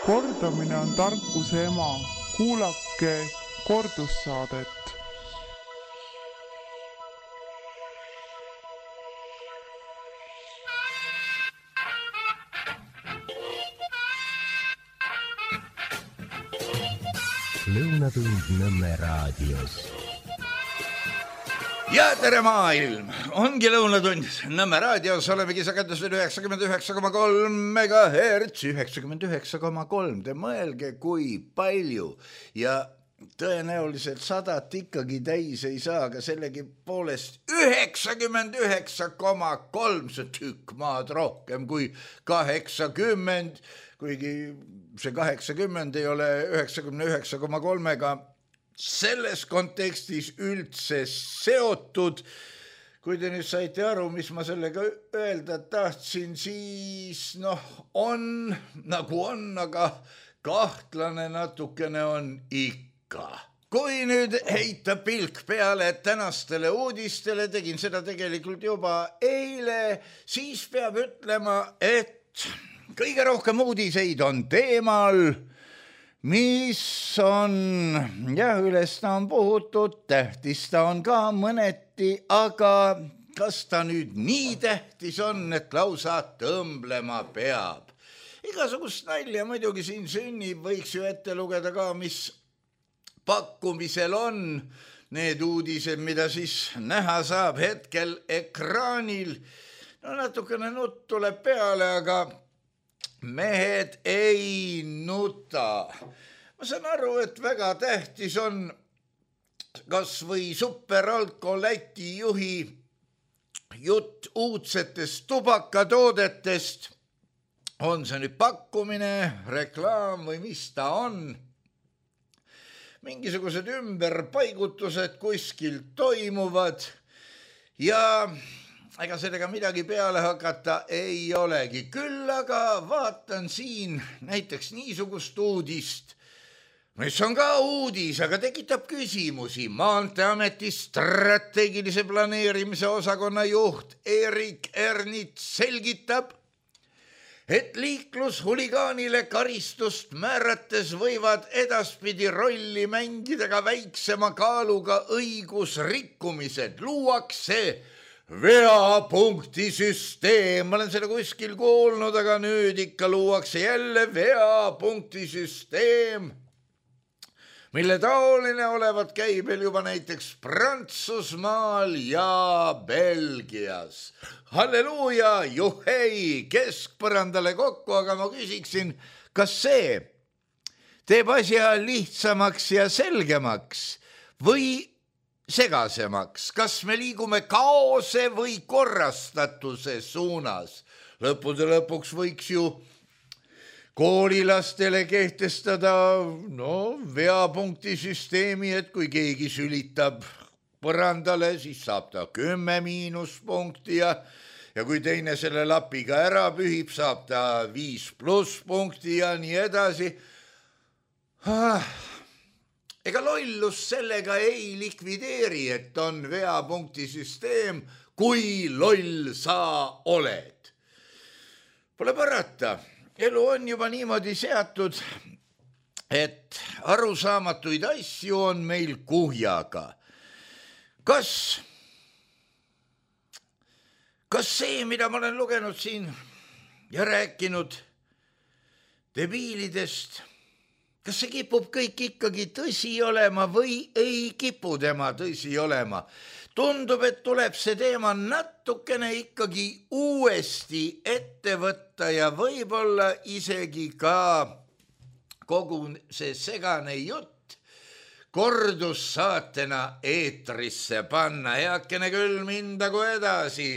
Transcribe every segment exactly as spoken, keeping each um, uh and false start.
Kordamine on tarkuse ema. Kuulake kordussaadet. Lõunatund Nõmme raadios. Ja tere maailm! Ongi lõunatund Nõmme raadios. Olemegi sagedusel üheksakümmend üheksa koma kolm megahertz. üheksakümmend üheksa koma kolm. Te mõelge, kui palju. Ja tõenäoliselt sadat ikkagi täis ei saa, aga sellegi poolest üheksakümmend üheksa koma kolm. See tükk maad rohkem kui kaheksakümmend. Kuigi see kaheksakümmend ei ole üheksakümmend üheksa koma kolmega selles kontekstis üldse seotud. Kui te nüüd saite aru, mis ma sellega öelda tahtsin, siis noh, on nagu on, aga kahtlane natukene on ikka. Kui nüüd heita pilk peale tänastele uudistele, tegin seda tegelikult juba eile, siis peab ütlema, et kõige rohkem uudiseid on teemal, mis on, jah, üles ta on puhutud, tähtis ta on ka mõneti, aga kas ta nüüd nii tähtis on, et lausa tõmblema peab? Igasugust nalja muidugi siin sünnib, võiks ju ette lugeda ka, mis pakkumisel on need uudised, mida siis näha saab hetkel ekraanil. No natukene nutt tuleb peale, aga mehed ei nuta. Ma saan aru, et väga tähtis on kas või Superalko Läti juhi jutt uudsetest tubakatoodetest. On see nüüd pakkumine, reklaam või mis ta on? Mingisugused ümberpaigutused kuskil toimuvad ja ega sellega midagi peale hakata ei olegi. Küll aga vaatan siin näiteks niisugust uudist, mis on ka uudis, aga tekitab küsimusi. Maanteeameti strateegilise planeerimise osakonna juht Erik Ernits selgitab, et liiklushuligaanile karistust määrates võivad edaspidi rolli mängida ka väiksema kaaluga õigusrikkumised. Luuakse veapunkti süsteem. Ma olen selle kuskil kuulnud, aga nüüd ikka luuakse jälle veapunkti süsteem, mille taoline olevat käibel juba näiteks Prantsusmaal ja Belgias. Halleluuja, juhei, keskpõrandale kokku, aga ma küsiksin, kas see teeb asja lihtsamaks ja selgemaks või segasemaks? Kas me liigume kaose või korrastatuse suunas? Lõppude lõpuks võiks ju koolilastele kehtestada no, veapunkti süsteemi, et kui keegi sülitab põrandale, siis saab ta kümme miinuspunkti ja, ja kui teine selle lapiga ära pühib, saab ta viis pluss punkti ja nii edasi. Ah. Ega lollus sellega ei likvideeri, et on veapunkti süsteem, kui loll sa oled. Pole parata, elu on juba niimoodi seatud, et arusaamatuid asju on meil kuhjaga. Kas, kas see, mida ma olen lugenud siin ja rääkinud debiilidest, kas see kipub kõik ikkagi tõsi olema või ei kipu tema tõsi olema? Tundub, et tuleb see teema natukene ikkagi uuesti ette võtta ja võib-olla isegi ka kogu see segane jutt kordussaatena eetrisse panna. Heakene küll mindagu edasi.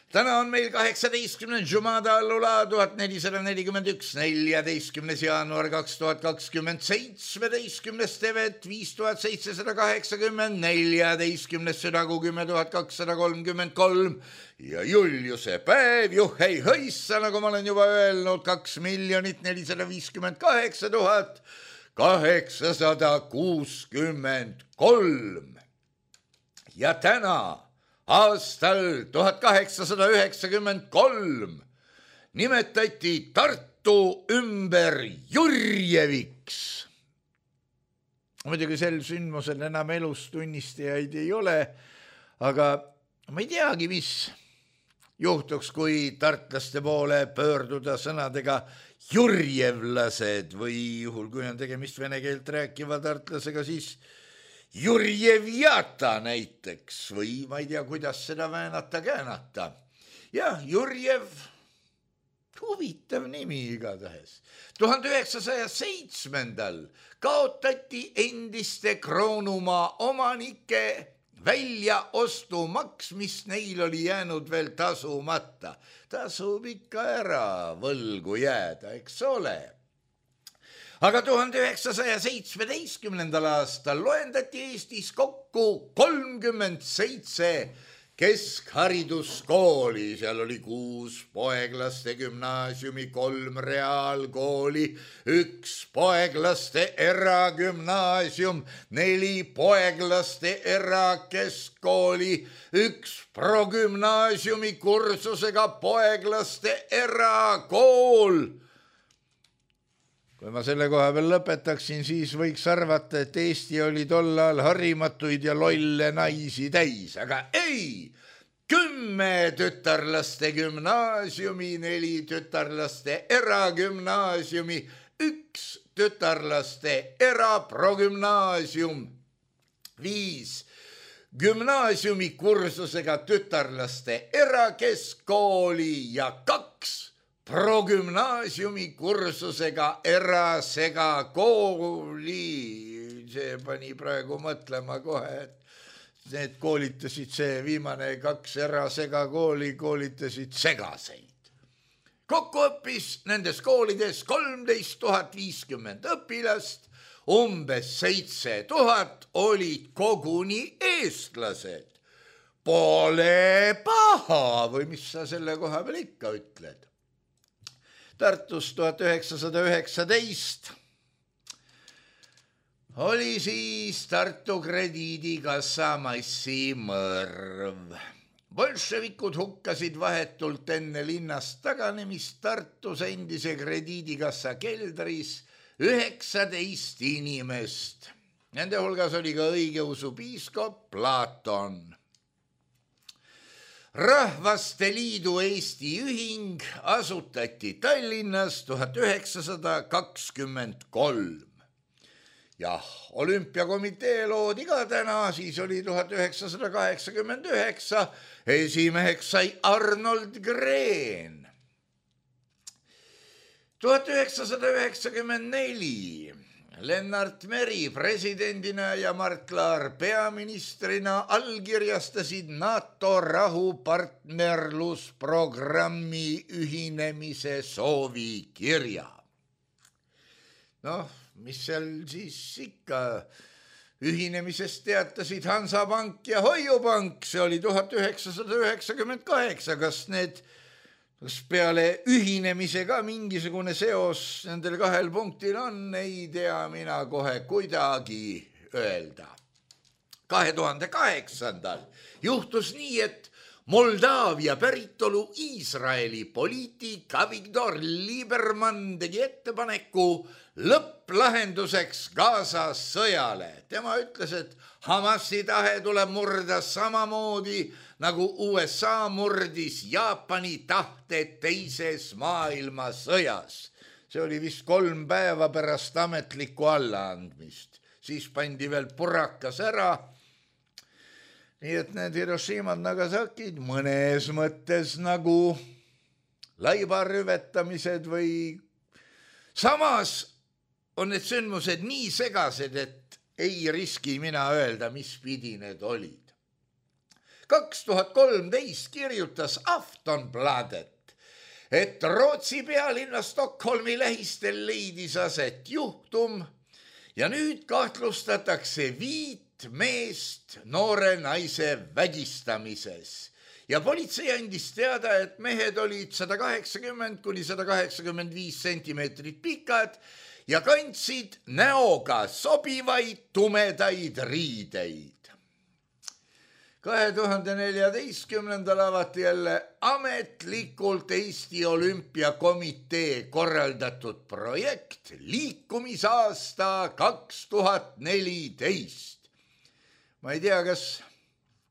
Täna on meil kaheksateistkümnes Jumada allula tuhat nelisada nelikümmend üks, neljateistkümnes jaanuar kaks tuhat kakskümmend, seitsmeteistkümnes tevet viis tuhat seitsesada kaheksakümmend, neljateistkümnes südagu kümme tuhat kakssada kolmkümmend kolm ja Juliuse päev, juhei hõissa, nagu ma olen juba öelnud, kaks miljonit nelisada viiskümmend kaheksa tuhat kaheksasada kuuskümmend kolm. Ja täna aastal tuhat kaheksasada üheksakümmend kolm nimetati Tartu Tartu ümber Jurjeviks. Muidugi sel sündmusel enam elus tunnistajaid ei ole, aga ma ei teagi, mis juhtuks, kui tartlaste poole pöörduda sõnadega jurjevlased või juhul, kui on tegemist vene keelt rääkiva tartlasega, siis Jurjevjata näiteks või ma ei tea, kuidas seda väänata käänata. Ja Jurjev, huvitav nimi igatahes. tuhande üheksasaja seitsmendal kaotati endiste Kroonumaa omanike väljaostumaks, mis neil oli jäänud veel tasumata. Tasub ikka ära võlgu jääda, eks ole. Aga tuhande üheksasaja seitsmeteistkümnendal aastal loendati Eestis kokku kolmkümmend seitse keskhariduskooli, seal oli kuus poeglaste gümnaasiumi, kolm reaalkooli, üks poeglaste eragümnaasium, neli poeglaste erakeskkooli, üks progümnaasiumi kursusega poeglaste erakool. Kui ma selle koha peal lõpetaksin, siis võiks arvata, et Eesti oli tollal harimatuid ja lolle naisi täis, aga ei! Kümme tütarlaste gümnaasiumi, neli tütarlaste eragümnaasiumi, üks tütarlaste eraprogümnaasium, viis gümnaasiumi kursusega tütarlaste erakeskkooli ja kaks progümnaasiumi kursusega erasegakooli. See pani praegu mõtlema kohe, et need koolitasid, see viimane kaks erasegakooli koolitasid segaseid. Kokku õppis nendes koolides kolmteist tuhat viiskümmend õpilast, umbes seitse tuhat olid koguni eestlased. Pole paha või mis sa selle koha peal ikka ütled? Tartus tuhat üheksasada üheksateist oli siis Tartu krediidikassa massimõrv. Bolševikud hukkasid vahetult enne linnast taganemist Tartus endise krediidikassa keldris üheksateist inimest. Nende hulgas oli ka õigeusu piiskop Platon. Rahvaste Liidu Eesti ühing asutati Tallinnas tuhat üheksasada kakskümmend kolm. Jah, olümpiakomitee loodi ka täna, siis oli tuhat üheksasada kaheksakümmend üheksa, esimeheks sai Arnold Green. tuhat üheksasada üheksakümmend neli Lennart Meri presidendina ja Mart Laar peaministrina allkirjastasid NATO rahupartnerlusprogrammi ühinemise soovikirja. Noh, mis seal siis ikka ühinemisest teatasid Hansapank ja Hoiupank, see oli tuhat üheksasada üheksakümmend kaheksa, kas need Kas peale ühinemise ka mingisugune seos nendel kahel punktil on, ei tea mina kohe kuidagi öelda. kahe tuhande kaheksandal juhtus nii, et Moldaavia päritolu Iisraeli poliitik Avigdor Lieberman tegi ettepaneku lõpplahenduseks Gaza sõjale. Tema ütles, et Hamasi tahe tuleb murda samamoodi, nagu U S A murdis Jaapani tahte teises maailmasõjas. See oli vist kolm päeva pärast ametlikku allaandmist. Siis pandi veel purakas ära. Nii et need Hiroshimad Nagasakid mõnes mõttes nagu laibarüvetamised või samas on need sündmused nii segased, et ei riski mina öelda, mis pidi need olid. kaks tuhat kolmteist kirjutas Aftonbladet, et Rootsi pealinna Stockholmi lähistel leidis aset juhtum ja nüüd kahtlustatakse viit meest noore naise vägistamises. Ja politsei andis teada, et mehed olid sada kaheksakümmend kuni sada kaheksakümmend viis sentimeetrit pikad ja kandsid näoga sobivaid tumedaid riideid. kahe tuhande neljateistkümnendal avati jälle ametlikult Eesti Olümpiakomitee korraldatud projekt liikumisaasta kaks tuhat neliteist. Ma ei tea, kas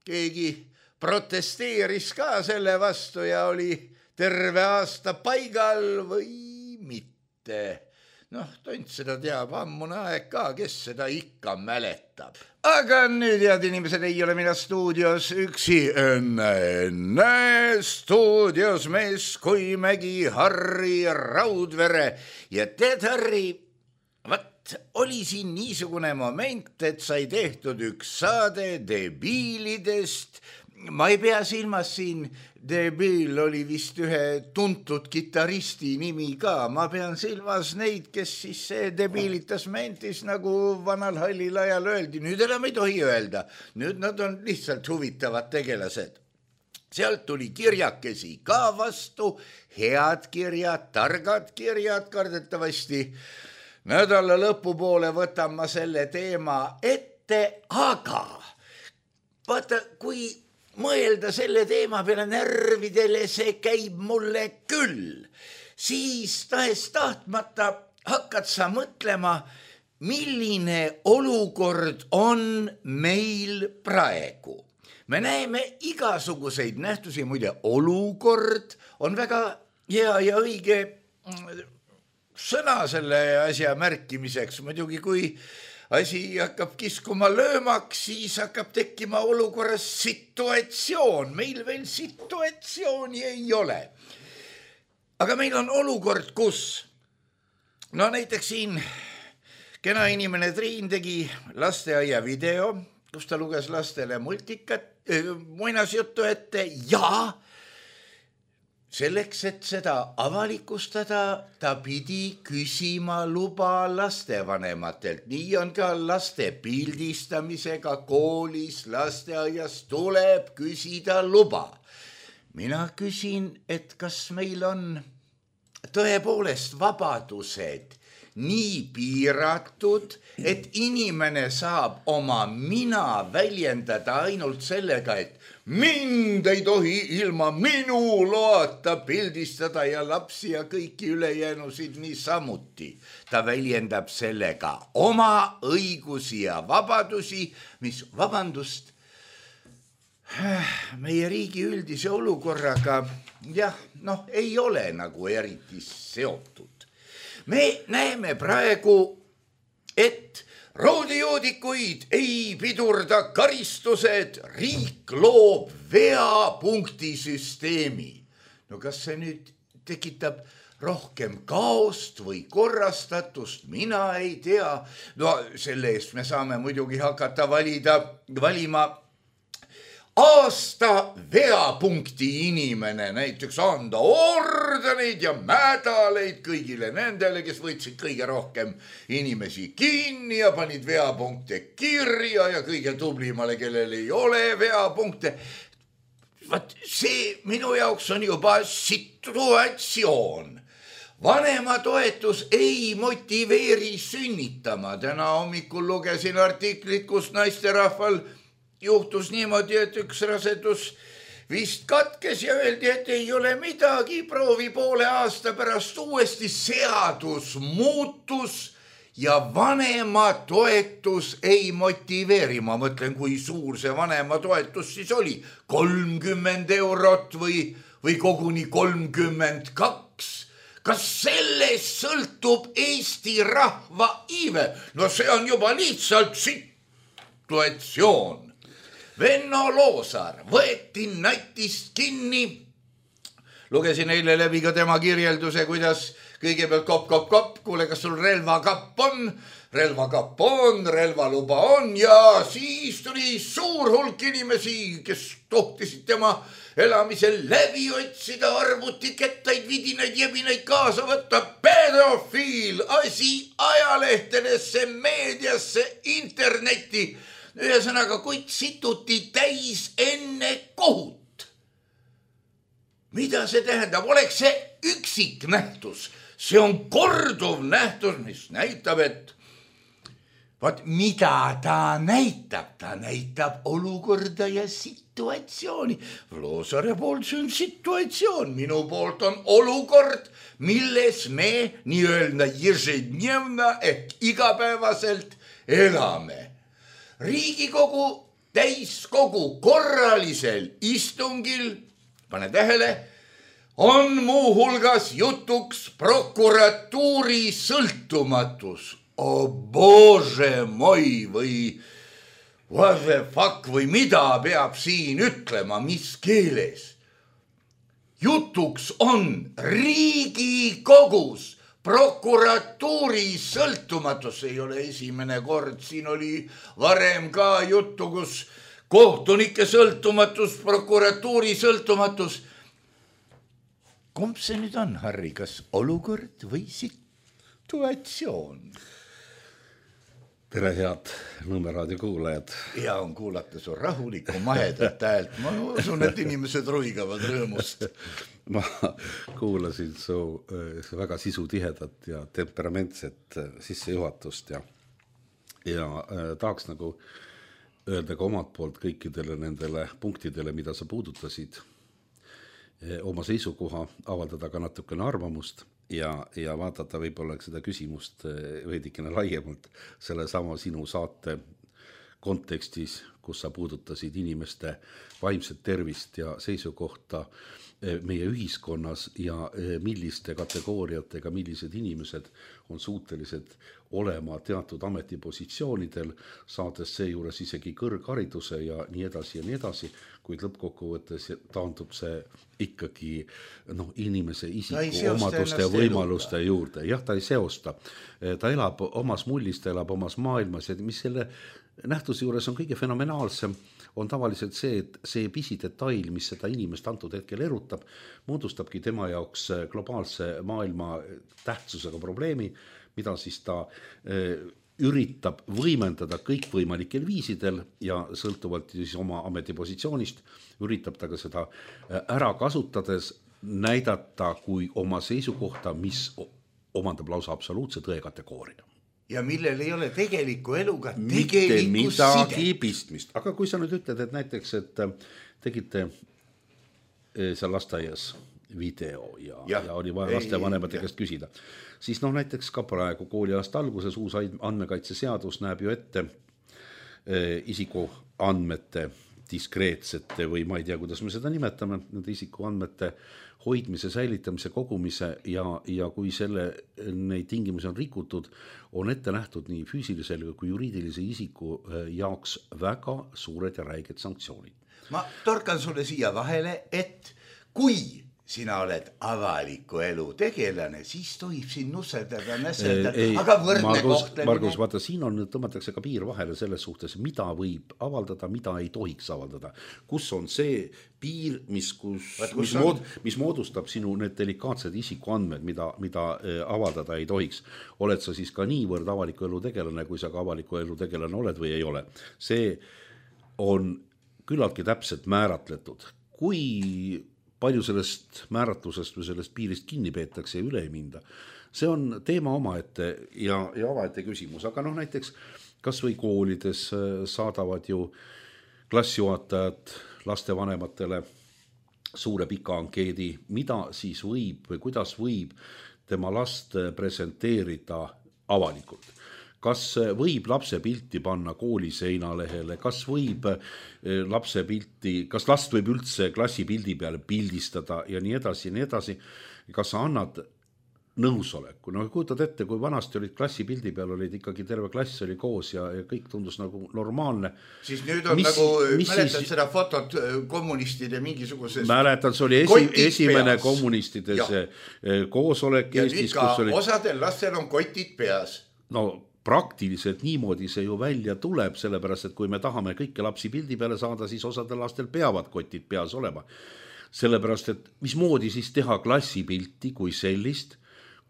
keegi protesteeris ka selle vastu ja oli terve aasta paigal või mitte. Noh, tont seda teab ammune aeg ka, kes seda ikka mäletab. Aga nüüd, head inimesed, ei ole mina stuudios üksi. Enne, enne stuudios mees kui Mägi Harri Raudvere. Ja tead, Harri, vat oli siin niisugune moment, et sai tehtud üks saade debiilidest. Ma ei pea silmas siin, debiil oli vist ühe tuntud kitaristi nimi ka. Ma pean silmas neid, kes siis debiilitas mentis, nagu vanal hallil ajal öeldi. Nüüd enam ei tohi öelda. Nüüd nad on lihtsalt huvitavad tegelased. Sealt tuli kirjakesi ka vastu, head kirjad, targad kirjad kardetavasti. Nädala lõpupoole võtan ma selle teema ette, aga vaata, kui mõelda selle teema peale närvidele, see käib mulle küll. Siis tahes tahtmata hakkad sa mõtlema, milline olukord on meil praegu. Me näeme igasuguseid nähtusi, muide olukord on väga hea ja õige sõna selle asja märkimiseks. Muidugi kui asi hakkab kiskuma löömaks, siis hakkab tekkima olukorras situatsioon. Meil veel situatsiooni ei ole. Aga meil on olukord, kus, no näiteks siin kena inimene Triin tegi lasteaia video, kus ta luges lastele multikat, muinasjuttu ette ja selleks, et seda avalikustada, ta pidi küsima luba lastevanematelt. Nii on ka laste pildistamisega koolis, lasteaias tuleb küsida luba. Mina küsin, et kas meil on tõepoolest vabadused nii piiratud, et inimene saab oma mina väljendada ainult sellega, et mind ei tohi ilma minu loata pildistada ja lapsi ja kõiki ülejäänusid nii samuti. Ta väljendab sellega oma õigusi ja vabadusi, mis, vabandust, meie riigi üldise olukorraga, jah, noh, ei ole nagu eriti seotud. Me näeme praegu, et roodijoodikuid ei pidurda karistused, riik loob veapunkti süsteemi. No kas see nüüd tekitab rohkem kaost või korrastatust, mina ei tea. No selle eest me saame muidugi hakata valida, valima aasta veapunkti inimene, näiteks anda ordeneid ja mädaleid kõigile nendele, kes võtsid kõige rohkem inimesi kinni ja panid veapunkte kirja ja kõige tublimale, kellel ei ole veapunkte. Vaat see minu jaoks on juba situatsioon. Vanematoetus ei motiveeri sünnitama. Täna hommikul lugesin artiklit, kus naisterahval juhtus niimoodi, et üks rasedus vist katkes ja öeldi, et ei ole midagi, proovi poole aasta pärast uuesti. Seadus muutus ja vanematoetus ei motiveeri. Ma mõtlen, kui suur see vanematoetus siis oli. kolmkümmend eurot või, või koguni kolmkümmend kaks. Kas sellest sõltub Eesti rahva iive? No see on juba lihtsalt situatsioon. Venno Loosaar võeti natist kinni. Lugesin eile läbi ka tema kirjelduse, kuidas kõigepealt kopp, kopp, kopp, kuule, kas sul relvakapp on? Relvakapp on, relvaluba on ja siis tuli suur hulk inimesi, kes tohtisid tema elamisel läbi otsida, arvutikettaid, vidinaid, jebinaid kaasa võtta. Pedofiil, asi ajalehtedesse, meediasse, internetti. Ühesõnaga, kuid situti täis enne kohut. Mida see tähendab? Oleks see üksik nähtus. See on korduv nähtus, mis näitab, et Vaat mida ta näitab, ta näitab olukorda ja situatsiooni. Vloosare poolt see on situatsioon, minu poolt on olukord, milles me nii-öelda ежедневно ehk igapäevaselt elame. Riigikogu täiskogu korralisel istungil, pane tähele, on muu hulgas jutuks prokuratuuri sõltumatus. Oh bože moi või what the fuck või mida peab siin ütlema, mis keeles. Jutuks on Riigikogus prokuratuuri sõltumatus. Ei ole esimene kord, siin oli varem ka juttu, kus kohtunike sõltumatus, prokuratuuri sõltumatus. Kumb see nüüd on, Harri, kas olukord või situatsioon? Tere, head Nõmme raadio kuulajad. Hea on kuulata su rahulikku mahedat häält. Ma usun, et inimesed ruigavad rõõmust. Ma kuulasin su väga sisutihedat ja temperamentset sissejuhatust ja, ja tahaks nagu öelda ka omalt poolt kõikidele nendele punktidele, mida sa puudutasid, oma seisukoha, avaldada ka natukene arvamust ja, ja vaadata võib-olla seda küsimust veidikene laiemalt selle sama sinu saate kontekstis, kus sa puudutasid inimeste vaimset tervist ja seisukohta meie ühiskonnas ja milliste kategooriatega, millised inimesed on suutelised olema teatud ametipositsioonidel, saades seejuures isegi kõrghariduse ja nii edasi ja nii edasi, kuid lõppkokkuvõttes taandub see ikkagi no, inimese isiku omaduste ja võimaluste eluga juurde. Jah, ta ei seosta. Ta elab omas mullis, ta elab omas maailmas ja mis selle nähtuse juures on kõige fenomenaalsem, on tavaliselt see, et see pisidetail, mis seda inimest antud hetkel erutab, moodustabki tema jaoks globaalse maailma tähtsusega probleemi, mida siis ta üritab võimendada kõikvõimalikel viisidel ja sõltuvalt siis oma ametipositsioonist üritab ta ka seda ära kasutades näidata kui oma seisukohta, mis omandab lausa absoluutse tõe kategooria. Ja millel ei ole tegeliku eluga mitte midagi pistmist. Aga kui sa nüüd ütled, et näiteks, et tegite seal lasteaias video ja, ja, ja oli vaja laste vanemate käest küsida, siis noh näiteks ka praegu kooliaasta alguses uus andmekaitseseadus näeb ju ette isiku andmete diskreetsete või ma ei tea, kuidas me seda nimetame, nende isiku andmete hoidmise, säilitamise, kogumise ja, ja kui selle, neid tingimusi on rikutud, on ette nähtud nii füüsilisel kui juriidilise isiku jaoks väga suured ja räiged sanktsioonid. Ma torkan sulle siia vahele, et kui sina oled avaliku elu tegelane, siis tohib siin nusserdada, nässerdada, aga võrdne kohtlemine. Margus, vaata, siin on, tõmmatakse ka piir vahele selles suhtes, mida võib avaldada, mida ei tohiks avaldada. Kus on see piir, mis, kus, Vaat, kus mis, mood, mis moodustab sinu need delikaatsed isikuandmed, mida, mida avaldada ei tohiks. Oled sa siis ka niivõrd avaliku elu tegelane, kui sa ka avaliku elu tegelane oled või ei ole. See on küllaltki täpselt määratletud. Kui palju sellest määratlusest või sellest piirist kinni peetakse ja üle ei minda. See on teema omaette ja, ja omaette küsimus, aga noh näiteks kas või koolides saadavad ju klassijuhatajad lastevanematele suure pika ankeedi, mida siis võib või kuidas võib tema last presenteerida avalikult. Kas võib lapse pilti panna kooli seinalehele, kas võib lapse pilti, kas last võib üldse klassi pildi peale pildistada ja nii edasi ja nii edasi. Kas sa annad nõusoleku? No kujutad ette, kui vanasti olid klassi pildi peal, olid ikkagi terve klass oli koos ja, ja kõik tundus nagu normaalne. Siis nüüd on mis, nagu, mäletad siis, seda fotot kommunistide mingisuguses mäletan, see oli esi, esimene peas. Kommunistide see koosolek ja Eestis. Ja nüüd ka oli osadel lastel on kotid peas. No praktiliselt niimoodi see ju välja tuleb, sellepärast, et kui me tahame kõike lapsi pildi peale saada, siis osadel lastel peavad kotid peas olema. Sellepärast, et mismoodi siis teha klassipilti kui sellist,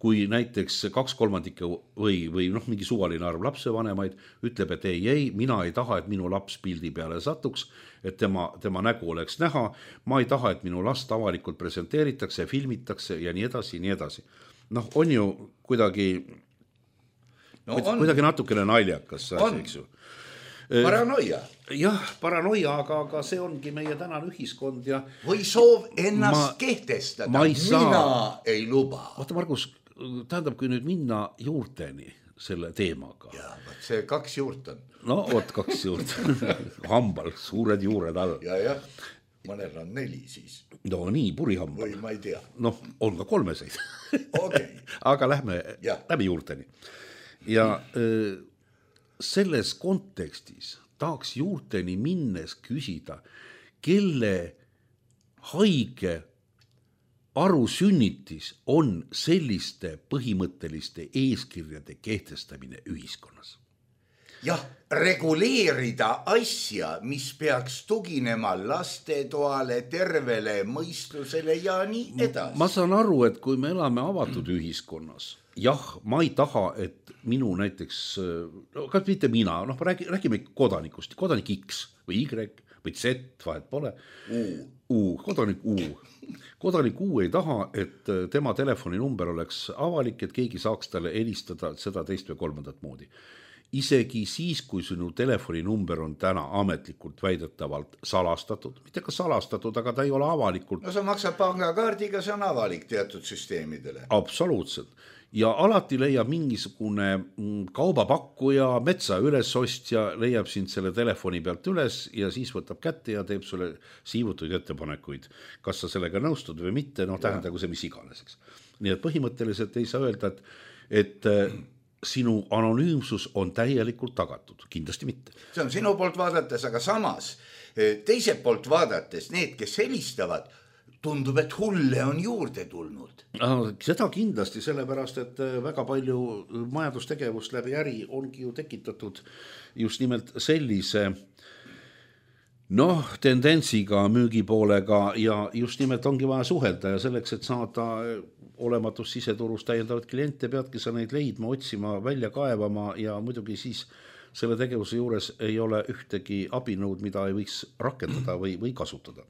kui näiteks kaks kolmandikke või, või noh, mingi suvaline arv lapsevanemaid ütleb, et ei, ei, mina ei taha, et minu laps pildi peale satuks, et tema, tema nägu oleks näha, ma ei taha, et minu last avalikult presenteeritakse, filmitakse ja nii edasi, nii edasi. Noh, on ju kuidagi no on. kuidagi natukene naljakas asi, eks ju. Paranoia. Jah, paranoia, aga, aga see ongi meie tänane ühiskond ja või soov ennast ma, kehtestada. Ma ei saa. Mina ei luba. Vaata, Margus, tähendab, kui nüüd minna juurteni selle teemaga. Ja, see kaks juurt on. No, oot, kaks juurt. Hambal, suured juured all. Ja, jah. Mõnel on neli siis. No nii, purihambal. Või ma ei tea. Noh, on ka kolmeseid. Okay. Aga lähme ja. läbi juurteni. Ja öö, selles kontekstis tahaks juurteni minnes küsida, kelle haige arusünnitis on selliste põhimõtteliste eeskirjade kehtestamine ühiskonnas. Jah, reguleerida asja, mis peaks tuginema lastetoale, tervele mõistusele ja nii edasi. Ma saan aru, et kui me elame avatud ühiskonnas, jah, ma ei taha, et minu näiteks, no kas mitte mina, noh, räägi, räägime kodanikust, kodanik X või Y või Z, vahet pole. U. U, kodanik U. Kodanik U ei taha, et tema telefoninumber oleks avalik, et keegi saaks talle helistada seda teist või kolmandat moodi. Isegi siis, kui sinu telefoninumber on täna ametlikult väidetavalt salastatud, mitte ka salastatud, aga ta ei ole avalikult. No sa maksad pangakaardiga, see on avalik teatud süsteemidele. Absoluutselt. Ja alati leiab mingisugune kaubapakkuja, metsa ülesostja, leiab sind selle telefoni pealt üles ja siis võtab kätte ja teeb sulle siivutuid ettepanekuid. Kas sa sellega nõustud või mitte, noh tähendagu see mis iganeseks. Nii et põhimõtteliselt ei saa öelda, et, et sinu anonüümsus on täielikult tagatud, kindlasti mitte. See on sinu poolt vaadates, aga samas teiselt poolt vaadates need, kes helistavad, tundub, et hulle on juurde tulnud. Seda kindlasti, sellepärast, et väga palju majandustegevust läbi äri ongi ju tekitatud just nimelt sellise noh, tendentsiga, müügipoolega ja just nimelt ongi vaja suhelda ja selleks, et saada olematus siseturus täiendavat kliente, peadki sa neid leidma, otsima, välja kaevama ja muidugi siis selle tegevuse juures ei ole ühtegi abinõud, mida ei võiks rakendada või, või kasutada.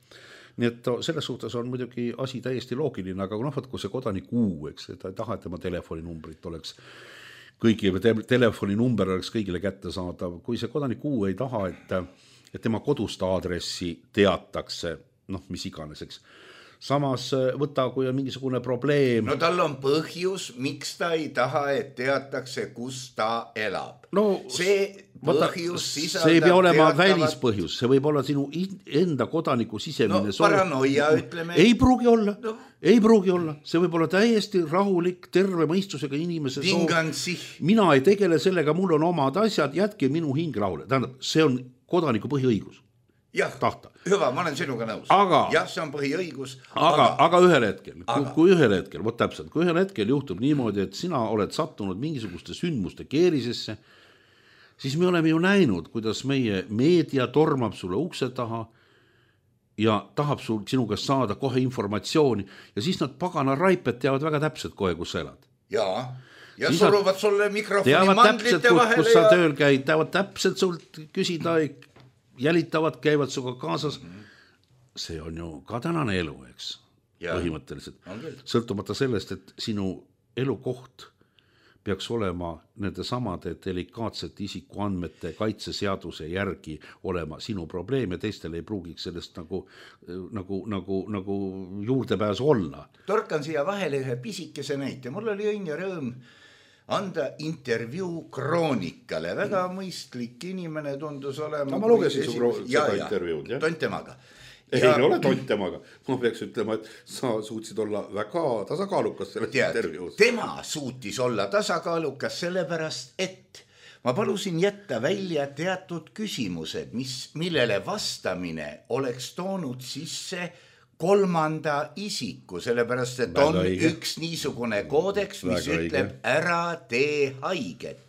Nii et selles suhtes on muidugi asi täiesti loogiline, aga noh, kui see kodanik U, eks, ta ei taha, et tema telefoninumbrit oleks kõigile, telefoninumber oleks kõigile kätte saadav. Kui see kodanik U ei taha, et, et tema kodust aadressi teatakse, noh, mis iganeseks. Samas võta, kui on mingisugune probleem. No tal on põhjus, miks ta ei taha, et teatakse, kus ta elab. No, see põhjus sisaldab see ei pea olema teatavat... välispõhjus, see võib olla sinu enda kodaniku sisemine no, paranoia, ütleme. Ei pruugi olla, no. ei pruugi olla. See võib olla täiesti rahulik, terve mõistusega inimese Vingansi. soov. Mina ei tegele sellega, mul on omad asjad, jätke minu hing rahule. Tähendab, see on kodaniku põhiõigus. Jah, tahta. Hüva, ma olen sinuga nõus. Aga, jah, see on põhiõigus. Aga, aga, aga ühel hetkel, aga. Kui, kui ühel hetkel, võt täpselt, kui ühel hetkel juhtub niimoodi, et sina oled sattunud mingisuguste sündmuste keerisesse, siis me oleme ju näinud, kuidas meie meedia tormab sulle ukse taha ja tahab sul, sinu käest saada kohe informatsiooni ja siis nad pagana raiped teavad väga täpselt kohe, kus sa elad. Jaa, ja siis suruvad sulle mikrofoni mandlite täpselt, vahele. Kus ja... sa tööl käid, teavad täpselt sult küsida, jälitavad, käivad suga kaasas. See on ju ka tänane elu, eks, ja. Põhimõtteliselt. Sõltumata sellest, et sinu elukoht peaks olema nende samade delikaatsete isikuandmete kaitseseaduse järgi olema sinu probleem ja teistel ei pruugiks sellest nagu, nagu, nagu, nagu juurdepääsu olla. Torkan siia vahele ühe pisikese näite. Mul oli õnn ja rõõm anda intervjuu Kroonikale. Väga mõistlik inimene tundus olema. No, ma lugesin su kro- seda ja, intervjuud. Ja. Tontemaga. Ei ja... ole tontemaga. Ma peaks ütlema, et sa suutsid olla väga tasakaalukas selles Tead, intervjuus. Tema suutis olla tasakaalukas sellepärast, et ma palusin jätta välja teatud küsimused, mis, millele vastamine oleks toonud sisse kolmanda isiku, sellepärast, et väga on õige. Üks niisugune koodeks, mis väga ütleb õige. Ära tee haiget.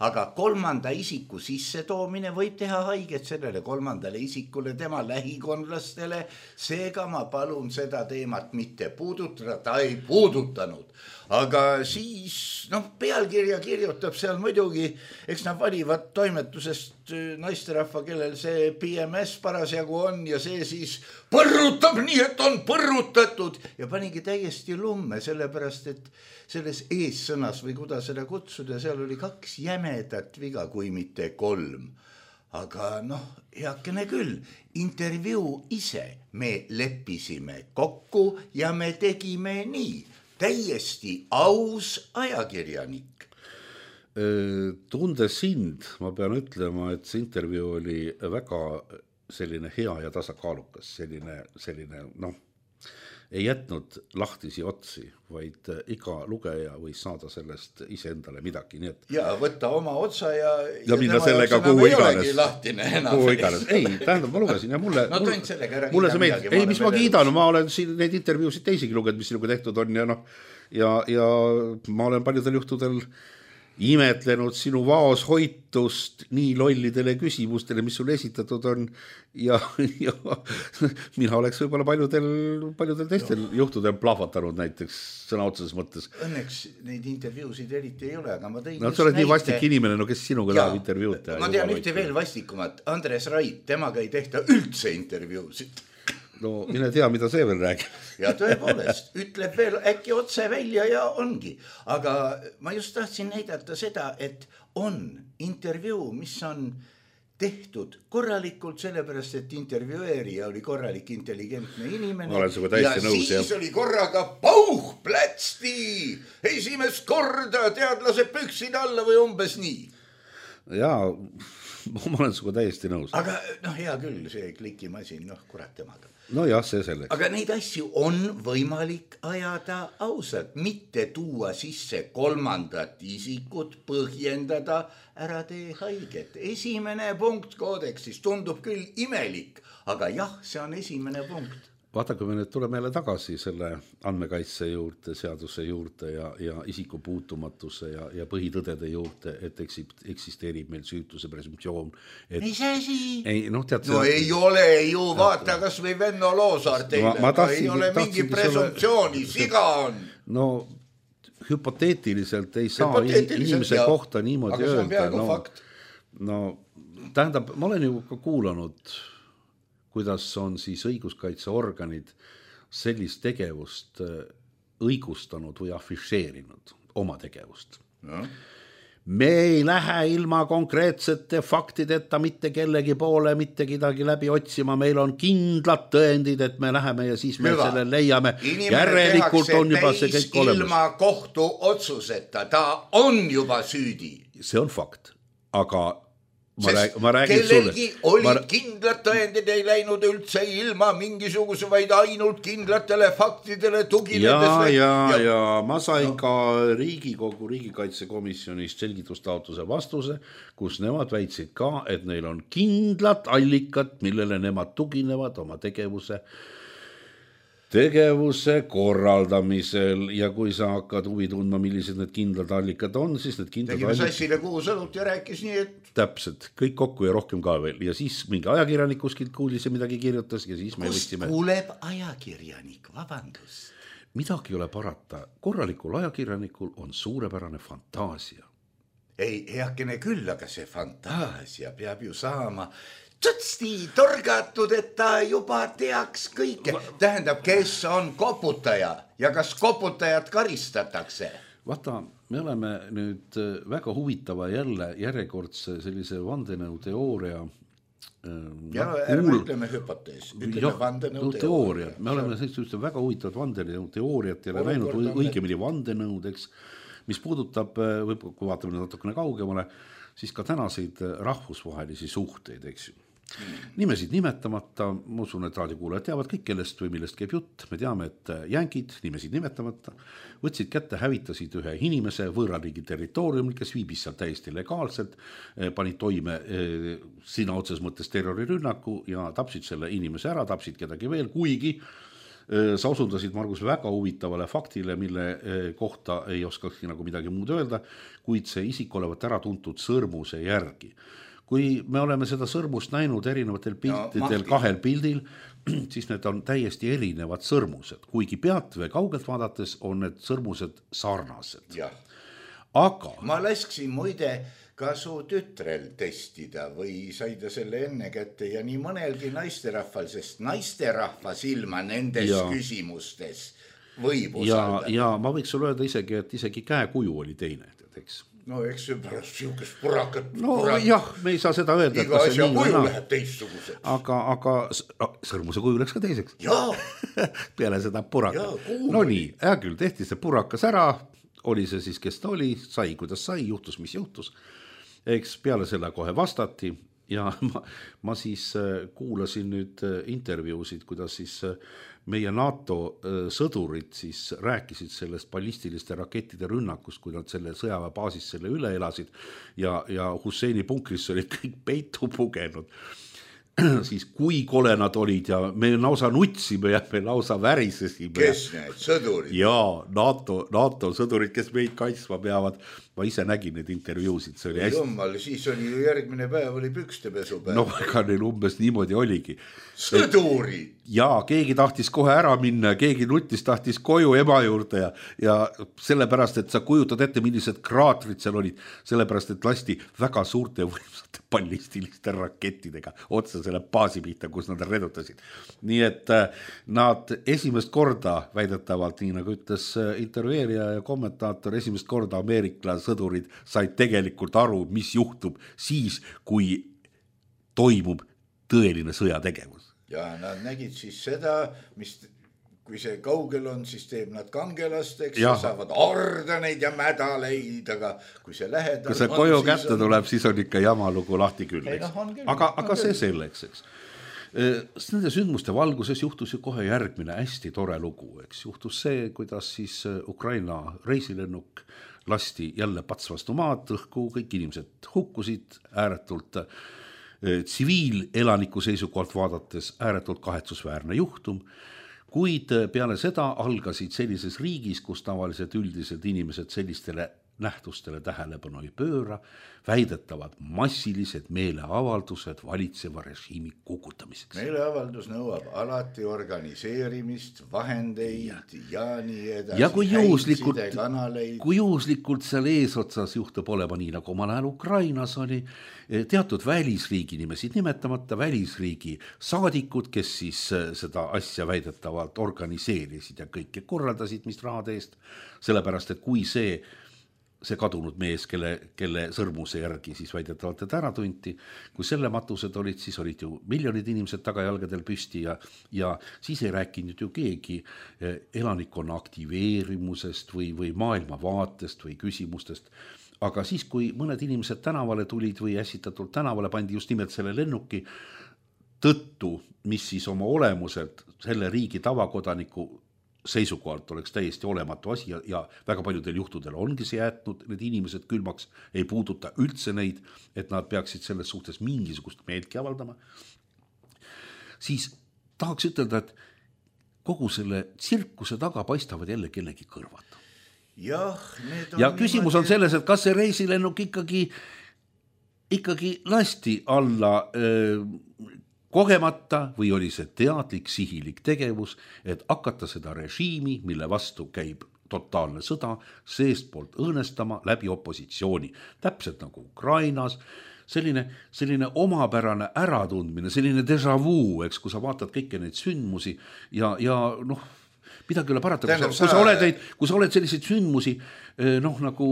Aga kolmanda isiku sissetoomine võib teha haiget sellele kolmandale isikule, tema lähikonlastele. Seega ma palun seda teemat mitte puudutada, ta ei puudutanud. aga siis noh, pealkirja kirjutab seal muidugi, eks nad valivad toimetusest naisterahva, kellel see P M S parasjagu on ja see siis põrrutab nii, et on põrrutatud ja panigi täiesti lumme, sellepärast et selles eessõnas või kuidas seda kutsuda, seal oli kaks jämedat viga, kui mitte kolm. Aga noh, heakene küll, intervjuu ise me leppisime kokku ja me tegime nii. Täiesti aus ajakirjanik. Tundes sind, ma pean ütlema, et see intervjuu oli väga selline hea ja tasakaalukas, selline, selline noh, ei jätnud lahtisi otsi, vaid iga lugeja võis saada sellest iseendale midagi. Nii et... Ja võtta oma otsa ja... Ja, ja minna sellega kuhu iganes. Kuhu iganes. Ei, tähendab, ma lugesin ja mulle... No tont sellega ära mulle see meeldib. Ei, mis ma kiidan, ma olen siin neid intervjuusid teisigi lugenud, mis sinuga tehtud on ja noh, ja, ja ma olen paljudel juhtudel imetlenud sinu vaoshoitust nii lollidele küsimustele, mis sulle esitatud on ja, ja mina oleks võib-olla paljudel, paljudel teistel no. juhtudel plahvatanud näiteks sõna otseses mõttes. Õnneks neid intervjuusid eriti ei ole, aga ma tõin no, sa oled näite... nii vastik inimene, no kes sinuga tahab intervjuud teha? Ma tean ühte veel vastikumat, Andres Rait, temaga ei tehta üldse intervjuusid. No mine tea, mida see veel räägib. Ja tõepoolest, ütleb veel äkki otse välja ja ongi. Aga ma just tahtsin näidata seda, et on intervjuu, mis on tehtud korralikult, sellepärast, et intervjueerija oli korralik intelligentne inimene. Ma olen suga täiesti nõus. Ja siis jah. Oli korraga pauh, plätsti, esimest korda teadlase püksid alla või umbes nii. Jaa, ma olen suga täiesti nõus. Aga noh, hea küll, see klikimasin, noh, kurat temaga. No jah, see selleks. Aga neid asju on võimalik ajada ausalt, mitte tuua sisse kolmandat isikut, põhjendada, ära tee haiget. Esimene punkt koodeksis tundub küll imelik, aga jah, see on esimene punkt. Vaata, kui me nüüd tuleme jälle tagasi selle andmekaitse juurde, seaduse juurde ja, ja isiku puutumatuse ja, ja põhitõdede juurde, et eksisteerib meil süütuse presumptsioon. Et... Mis asi? Ei, no, tead, no see... ei ole ju, vaata kas või Venno Loosaar teile, ma, ma tahtsin, ei ole mingi presumptsiooni, ole... siga on. No hüpoteetiliselt ei saa hüpoteetiliselt, inimese ja... kohta niimoodi öelda. Aga see on peaaegu no, fakt. No tähendab, ma olen ju ka kuulanud... kuidas on siis õiguskaitseorganid sellist tegevust õigustanud või afišeerinud oma tegevust. Ja. Me ei lähe ilma konkreetsete faktideta mitte kellegi poole, mitte kedagi läbi otsima, meil on kindlad tõendid, et me läheme ja siis me Hüva. Selle leiame. Järelikult on juba see kõik olemas. Ilma kohtu otsuseta, ta on juba süüdi. See on fakt, aga Ma rääg, ma kellelgi olid ma... kindlad tõendid, ei läinud üldse ilma mingisuguse, vaid ainult kindlatele faktidele tuginedes. Ja, ja, ja, ja ma sain no. ka Riigikogu riigikaitsekomisjonist selgitustaotluse vastuse, kus nemad väitsid ka, et neil on kindlad allikad, millele nemad tuginevad oma tegevuse tegevuse korraldamisel ja kui sa hakkad huvi tundma, millised need kindlad allikad on, siis need kindlad tegime allikad... sassile kuhu sõnut ja rääkis nii, et... Täpselt, kõik kokku ja rohkem ka veel. Ja siis mingi ajakirjanik kuskilt kuulis ja midagi kirjutas ja siis me Kust võtsime... kuuleb ajakirjanik, vabandust? Midagi ei ole parata. Korralikul ajakirjanikul on suurepärane fantaasia. Ei, heakene küll, aga see fantaasia peab ju saama... Tutsti torgatud, et ta juba teaks kõike. Tähendab, kes on koputaja ja kas koputajat karistatakse? Vaata, me oleme nüüd väga huvitava jälle järjekordse sellise vandenõuteooria. Ja no, ärme kuul... ütleme hüpotees, ütleme vandenõuteooria. Me oleme sellist väga huvitavat vandenõuteooriat ja näinud õigemini vandenõud, eks, mis puudutab, või kui vaatame natukene kaugemale, siis ka tänaseid rahvusvahelisi suhteid, eks ju. Nimesid nimetamata, ma usun, et raadiokuulajad teavad kõik, kellest või millest käib jutt. Me teame, et jänkid, nimesid nimetamata, võtsid kätte, hävitasid ühe inimese võõrariigi territooriumil, kes viibis seal täiesti legaalselt, panid toime sina otses mõttes terrorirünnaku ja tapsid selle inimese ära, tapsid kedagi veel, kuigi sa osundasid, Margus, väga huvitavale faktile, mille kohta ei oskakski nagu midagi muud öelda, kuid see isik olevat ära tuntud sõrmuse järgi. kui me oleme seda sõrmust näinud erinevatel piltidel, no, kahel pildil, siis need on täiesti erinevad sõrmused, kuigi pealt või kaugelt vaadates on need sõrmused sarnased. Jah. Aga ma lasksin muide ka su tütrel testida või sai ta selle enne kätte ja nii mõnelgi naisterahval, sest naisterahva silma nendes ja. küsimustes võib usaldada. Ja, ja ma võiks sulle öelda isegi, et isegi käekuju oli teine, eks. No eks see pärast siukest purakat. No purak... jah, me ei saa seda öelda. Iga asja kuju läheb teistsuguseks. Aga, aga sõrmuse kuju läks ka teiseks. Jaa. Peale seda purakat. No nii, hea küll, tehti see purakas ära, oli see siis, kes ta oli, sai, kuidas sai, juhtus, mis juhtus. Eks peale selle kohe vastati ja ma, ma siis kuulasin nüüd intervjuusid, kuidas siis meie NATO sõdurid siis rääkisid sellest ballistiliste rakettide rünnakust, kui nad selle sõjaväebaasis selle üle elasid ja, ja Husseini punkris olid kõik peitu pugenud. Siis kui kole nad olid ja me lausa nutsime ja me lausa värisesime. Kes need sõdurid? Jaa, NATO, NATO sõdurid, kes meid kaitsma peavad. Ma ise nägin need intervjuusid. See oli hästi... Jummal, siis oli ju järgmine päev oli pükstepesu päev. No ega neil umbes niimoodi oligi. Sõdurid! Jaa, keegi tahtis kohe ära minna, keegi nutis tahtis koju ema juurde ja, ja sellepärast, et sa kujutad ette, millised kraatrid seal olid, sellepärast, et lasti väga suurte võimsate ballistiliste rakettidega otsa selle baasi pihta, kus nad redutasid. Nii et nad esimest korda väidetavalt, nii nagu ütles intervjueerija ja kommentaator, esimest korda Ameerika sõdurid said tegelikult aru, mis juhtub siis, kui toimub tõeline sõjategevus. Ja nad nägid siis seda, mis, kui see kaugel on, siis teeb nad kangelasteks ja saavad ordeneid ja mädaleid, aga kui see lähedal kui see koju kätte on... tuleb, siis on ikka jamalugu lahti küll, eks. No, küll. Aga, aga see selleks, eks. Nende sündmuste valguses juhtus ju kohe järgmine hästi tore lugu, eks. Juhtus see, kuidas siis Ukraina reisilennuk lasti jälle pats vastu maad, õhku, kõik inimesed hukkusid ääretult tsiviilelaniku seisukohalt vaadates ääretult kahetsusväärne juhtum, kuid peale seda algasid sellises riigis, kus tavaliselt üldiselt inimesed sellistele nähtustele tähelepanu ei pööra, väidetavad massilised meeleavaldused valitseva režiimi kukutamiseks. Meeleavaldus nõuab alati organiseerimist, vahendeid ja, ja nii edasi. Ja kui juhuslikult, kui juhuslikult seal eesotsas juhtub olema nii, nagu omal ajal Ukrainas oli, teatud välisriigi nimesid nimetamata, välisriigi saadikud, kes siis seda asja väidetavalt organiseerisid ja kõike korraldasid, mis rahade eest, sellepärast, et kui see see kadunud mees, kelle, kelle sõrmuse järgi siis väidetavalt et ära tunti, kui selle matused olid, siis olid ju miljonid inimesed tagajalgadel püsti ja, ja siis ei rääkinud ju keegi elanikkonna aktiveerimusest või, või maailmavaatest või küsimustest. Aga siis, kui mõned inimesed tänavale tulid või ässitatult tänavale pandi just nimelt selle lennuki tõttu, mis siis oma olemuselt selle riigi tavakodaniku seisukohalt oleks täiesti olematu asi ja, ja väga paljudel juhtudel ongi see jätnud need inimesed külmaks, ei puuduta üldse neid, et nad peaksid selles suhtes mingisugust meeltki avaldama, siis tahaks ütelda, et kogu selle tsirkuse taga paistavad jälle kellegi kõrvad. Jah, need on ja küsimus niimoodi... on selles, et kas see reisilennuk ikkagi, ikkagi lasti alla öö, kogemata või oli see teadlik sihilik tegevus, et hakata seda režiimi, mille vastu käib totaalne sõda, seest poolt õõnestama läbi opositsiooni. Täpselt nagu Ukrainas, selline, selline omapärane äratundmine, selline déjà vu, eks, kui sa vaatad kõiki neid sündmusi ja, ja noh, midagi üle parata, kui, kui, sa oled, kui sa oled selliseid sündmusi noh, nagu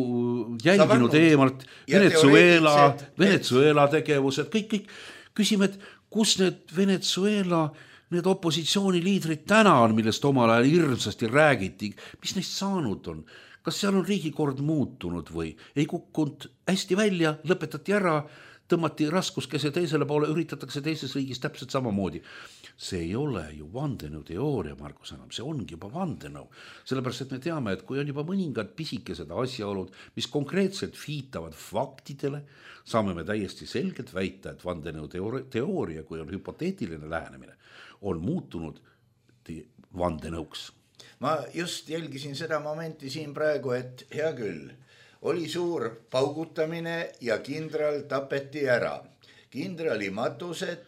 jälginud eemalt, Venezuela, Venezuela tegevused, kõik, kõik, küsime, et kus need Venezuela, need opositsiooniliidrid täna on, millest omal ajal hirmsasti räägiti, mis neist saanud on? Kas seal on riigikord muutunud või ei kukkunud hästi välja, lõpetati ära, tõmmati raskuskese teisele poole, üritatakse teises riigis täpselt samamoodi. See ei ole ju vandenõu teooria, Margus, enam, see ongi juba vandenõu. Sellepärast, et me teame, et kui on juba mõningad pisikesed asjaolud, mis konkreetselt viitavad faktidele, saame me täiesti selgelt väita, et vandenõu teooria, kui on hüpoteetiline lähenemine, on muutunud vandenõuks. Ma just jälgisin seda momenti siin praegu, et hea küll, oli suur paugutamine ja kindral tapeti ära. kindrali matused,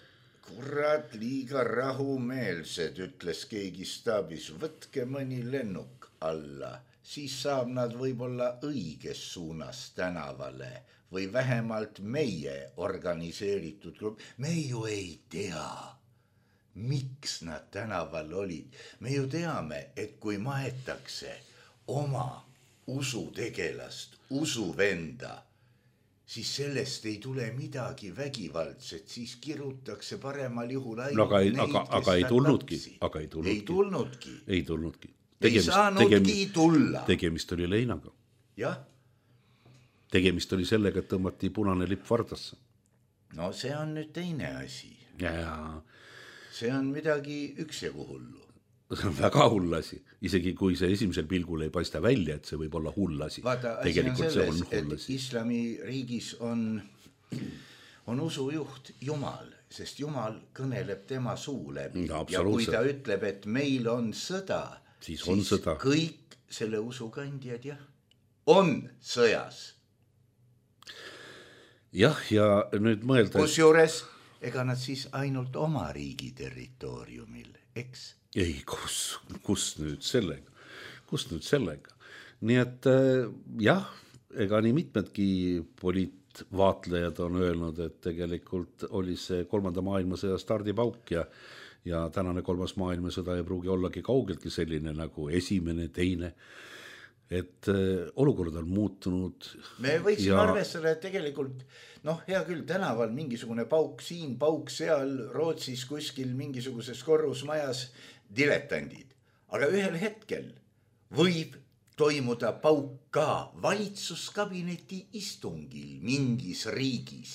kurat liiga rahumeelsed, ütles keegi staabis, võtke mõni lennuk alla, siis saab nad võib-olla õiges suunas tänavale või vähemalt meie organiseeritud grupp. Me ju ei tea, miks nad tänaval olid. Me ju teame, et kui maetakse oma usutegelast, usuvenda, siis sellest ei tule midagi vägivaldset, siis kirutakse paremal juhul ainult no, aga, neid, aga, aga ei tulnudki, aga ei tulnudki. Ei tulnudki. Ei tulnudki. Tegemist, ei saanudki tegemist, tulla. Tegemist oli leinaga. Jah. Tegemist oli sellega, et tõmmati punane lipp vardasse. No see on nüüd teine asi. Ja. See on midagi üksjagu hullu. See on väga hull asi, isegi kui see esimesel pilgul ei paista välja, et see võib olla hull asi. Vaata, asi on selles, et islamiriigis on, on usujuht Jumal, sest Jumal kõneleb tema suu läbi. Ja, ja kui ta ütleb, et meil on sõda, siis, on siis sõda. Kõik selle usukandjad jah, on sõjas. Jah, ja nüüd mõelda... Kusjuures, ega nad siis ainult oma riigi territooriumil, eks? Ei, kus, kus nüüd sellega, kus nüüd sellega. Nii et jah, ega nii mitmedki poliitvaatlejad on öelnud, et tegelikult oli see kolmanda maailmasõja stardipauk ja, ja tänane kolmas maailmasõda ei pruugi ollagi kaugeltki selline nagu esimene, teine, et olukord on muutunud. Me võiksime ja... arvestada, et tegelikult, noh, hea küll, tänaval mingisugune pauk siin, pauk seal, Rootsis kuskil mingisuguses korrusmajas diletandid. Aga ühel hetkel võib toimuda pauk ka valitsuskabineti istungil mingis riigis.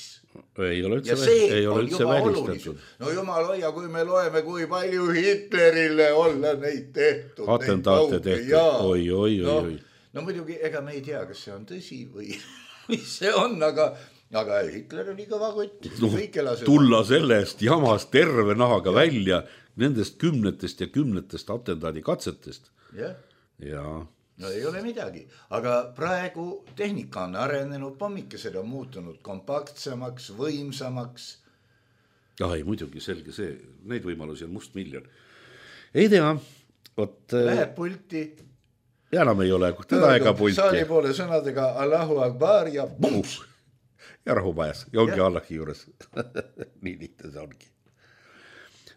Ei ole üldse, ja see ei ole on üldse juba välistatud. No jumal hoia, kui me loeme, kui palju Hitlerile olla neid tehtud. Atentaate tehtud, oi, oi, oi, oi. No, no muidugi, ega me ei tea, kas see on tõsi või mis see on, aga, aga Hitler oli kõva kott. No, tulla sellest jamast terve nahaga ja. Välja nendest kümnetest ja kümnetest atentaadi katsetest. Ja. Ja. No ei ole midagi, aga praegu tehnika on arenenud, pommikesed on muutunud kompaktsemaks, võimsamaks. Ja ei, muidugi selge see, neid võimalusi on must miljon. Ei tea, ot... Läheb pulti. Ja enam ei ole, teda ega pulti. Saali poole sõnadega Allahu Akbar ja bums. Ja rahu majas, ja ongi ja. Allahi juures. Nii lihtne see ongi.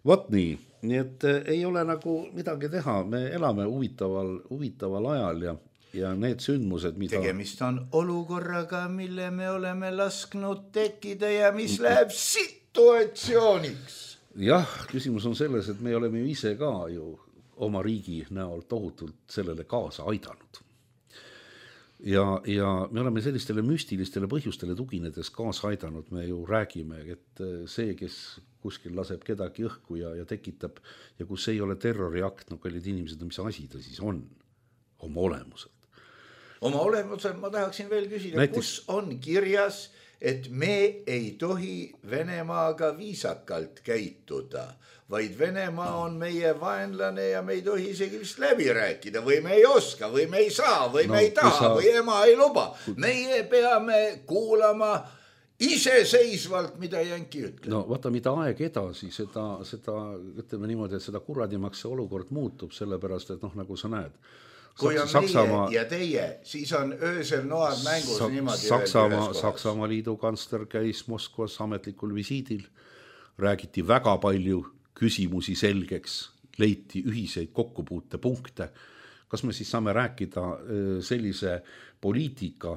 Vot nii, nii et ei ole nagu midagi teha, me elame huvitaval, huvitaval ajal ja, ja need sündmused, mida... Tegemist on olukorraga, mille me oleme lasknud tekkida ja mis läheb situatsiooniks. Jah, küsimus on selles, et me oleme ise ka ju oma riigi näol tohutult sellele kaasa aidanud. Ja, ja me oleme sellistele müstilistele põhjustele tuginedes kaasa aidanud, me ju räägime, et see, kes kuskil laseb kedagi õhku ja, ja tekitab ja kus ei ole terroriakt, no kallid inimesed, mis asi ta siis on oma olemuselt. Oma olemuselt ma tahaksin veel küsida, Näiteks... kus on kirjas, et me ei tohi Venemaaga viisakalt käituda, vaid Venemaa on meie vaenlane ja me ei tohi isegi vist läbi rääkida või me ei oska või me ei saa või no, me ei taha sa... või ema ei luba. Meie peame kuulama iseseisvalt, mida jänki ütleb. No vaata, mida aeg edasi, seda, seda ütleme niimoodi, et seda kuradimaks see olukord muutub, sellepärast, et noh, nagu sa näed. Kui on Saksamaa... meie ja teie, siis on öösel noad mängus Sa- niimoodi. Saksamaa, Saksamaa liidu kantsler käis Moskvas ametlikul visiidil, räägiti väga palju küsimusi selgeks, leiti ühiseid kokkupuute punkte. Kas me siis saame rääkida sellise poliitika,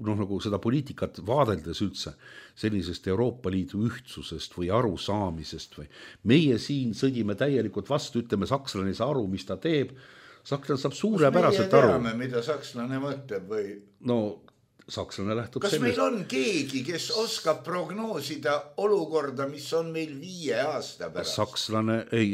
noh nagu seda poliitikat vaadeldes üldse, sellisest Euroopa Liidu ühtsusest või arusaamisest või meie siin sõdime täielikult vastu, ütleme sakslane ei saa aru, mis ta teeb. Sakslane saab suurepäraselt aru. Kas meie teame, mida sakslane mõtleb või? No, sakslane lähtub Kas sellest. Kas meil on keegi, kes oskab prognoosida olukorda, mis on meil viie aasta pärast? Sakslane ei...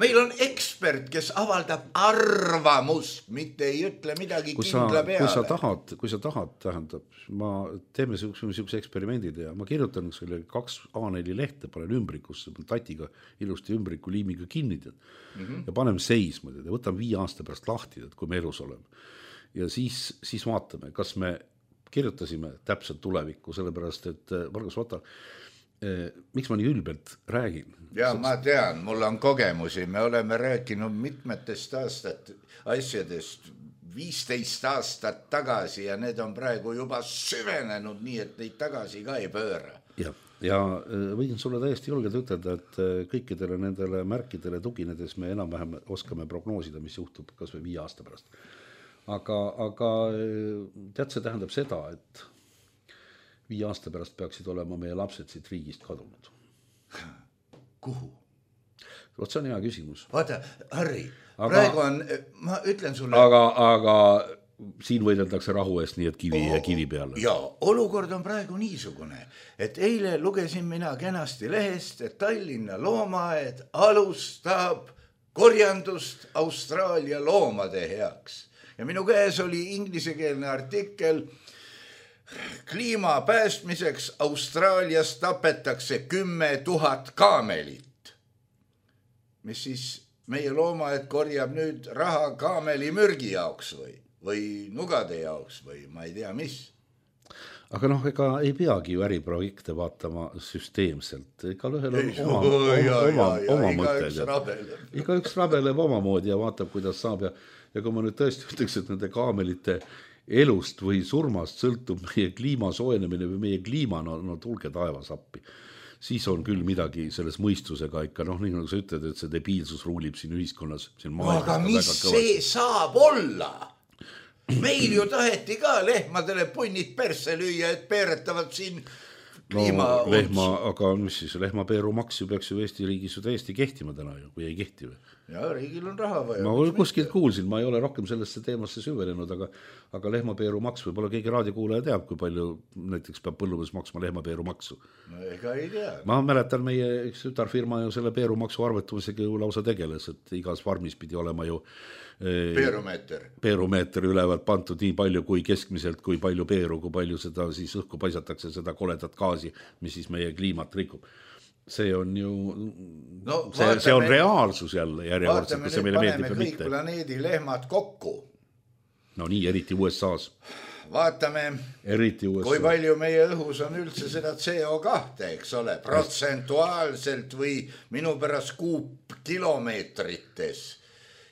Meil on ekspert, kes avaldab arvamust, mitte ei ütle midagi kui kindla sa, peale. Kui sa tahad, kui sa tahad, tähendab, ma teeme niisuguse eksperimendid ja ma kirjutan selle kaks A neli lehte, panen ümbrikusse, tatiga ilusti ümbriku liimiga kinni mm-hmm. ja paneme seisma ja võtame viie aasta pärast lahti, kui me elus oleme. Ja siis, siis vaatame, kas me kirjutasime täpselt tulevikku, sellepärast, et Margus, vaata, miks ma nii ülbelt räägin? Ja ma tean, mul on kogemusi, me oleme rääkinud mitmetest aastat asjadest viisteist aastat tagasi ja need on praegu juba süvenenud nii, et neid tagasi ka ei pööra. Ja, ja võin sulle täiesti julgelt ütelda, et kõikidele nendele märkidele tuginedes me enam-vähem oskame prognoosida, mis juhtub kas või viie aasta pärast. Aga, aga tead, see tähendab seda, et viie aasta pärast peaksid olema meie lapsed siit riigist kadunud. Kuhu? Vot see on hea küsimus. Vaata, Harri, aga, praegu on, ma ütlen sulle... Aga, aga siin võideldakse rahu eest nii, et kivi ja kivi peale. Ja olukord on praegu niisugune, et eile lugesin mina kenasti lehest, et Tallinna loomaaed alustab korjandust Austraalia loomade heaks. Ja minu käes oli inglisekeelne artikkel kliima päästmiseks Austraalias tapetakse kümme tuhat kaamelit, mis siis meie loomaaed korjab nüüd raha kaameli mürgi jaoks või, või nugade jaoks või ma ei tea mis. Aga noh, ega ei peagi ju äriprojekte vaatama süsteemselt. Ega ühel on oma, oma, oma, oma mõtted. Iga üks rabeleb oma moodi ja vaatab, kuidas saab. Ja, ja kui ma nüüd tõesti ütleks, et nende kaamelite elust või surmast sõltub meie kliima soojenemine või meie kliima, no, no tulge taevas appi. Siis on küll midagi selles mõistusega ikka, noh, nii nagu sa ütled, et see debiilsus ruulib siin ühiskonnas. Siin aga mis see saab olla? Meil ju taheti ka lehmadele punnid persse lüüa, et peeretavad siin kliima... No, lehma, aga mis siis, lehmapeeru maks ju peaks ju Eesti riigis ju täiesti kehtima täna ju, kui ei kehti või? Ja riigil on raha vaja. Ma kuskilt kuulsin, ma ei ole rohkem sellesse teemasse süvenenud, aga, aga lehmapeeru maks, võib-olla keegi raadiokuulaja teab, kui palju näiteks peab põllumees maksma lehmapeeru maksu. No ega ei tea. Ma mäletan, meie üks tütarfirma ju selle peeru maksu arvetumisega ju lausa tegeles, et igas farmis pidi olema ju peerumeeter. Peerumeeter ülevalt pantud nii palju kui keskmiselt, kui palju peeru, kui palju seda siis õhku paisatakse, seda koledat gaasi, mis siis meie kliimat rikub. See on ju, no, see, vaatame, see on reaalsus jälle järjekordselt, kui see meile meeldib või mitte. Vaatame kõik planeedi lehmad kokku. No nii, eriti U S A-s. Vaatame, eriti U S A. kui palju meie õhus on üldse seda C O kahe, eks ole, protsentuaalselt või minu pärast kuupkilomeetrites.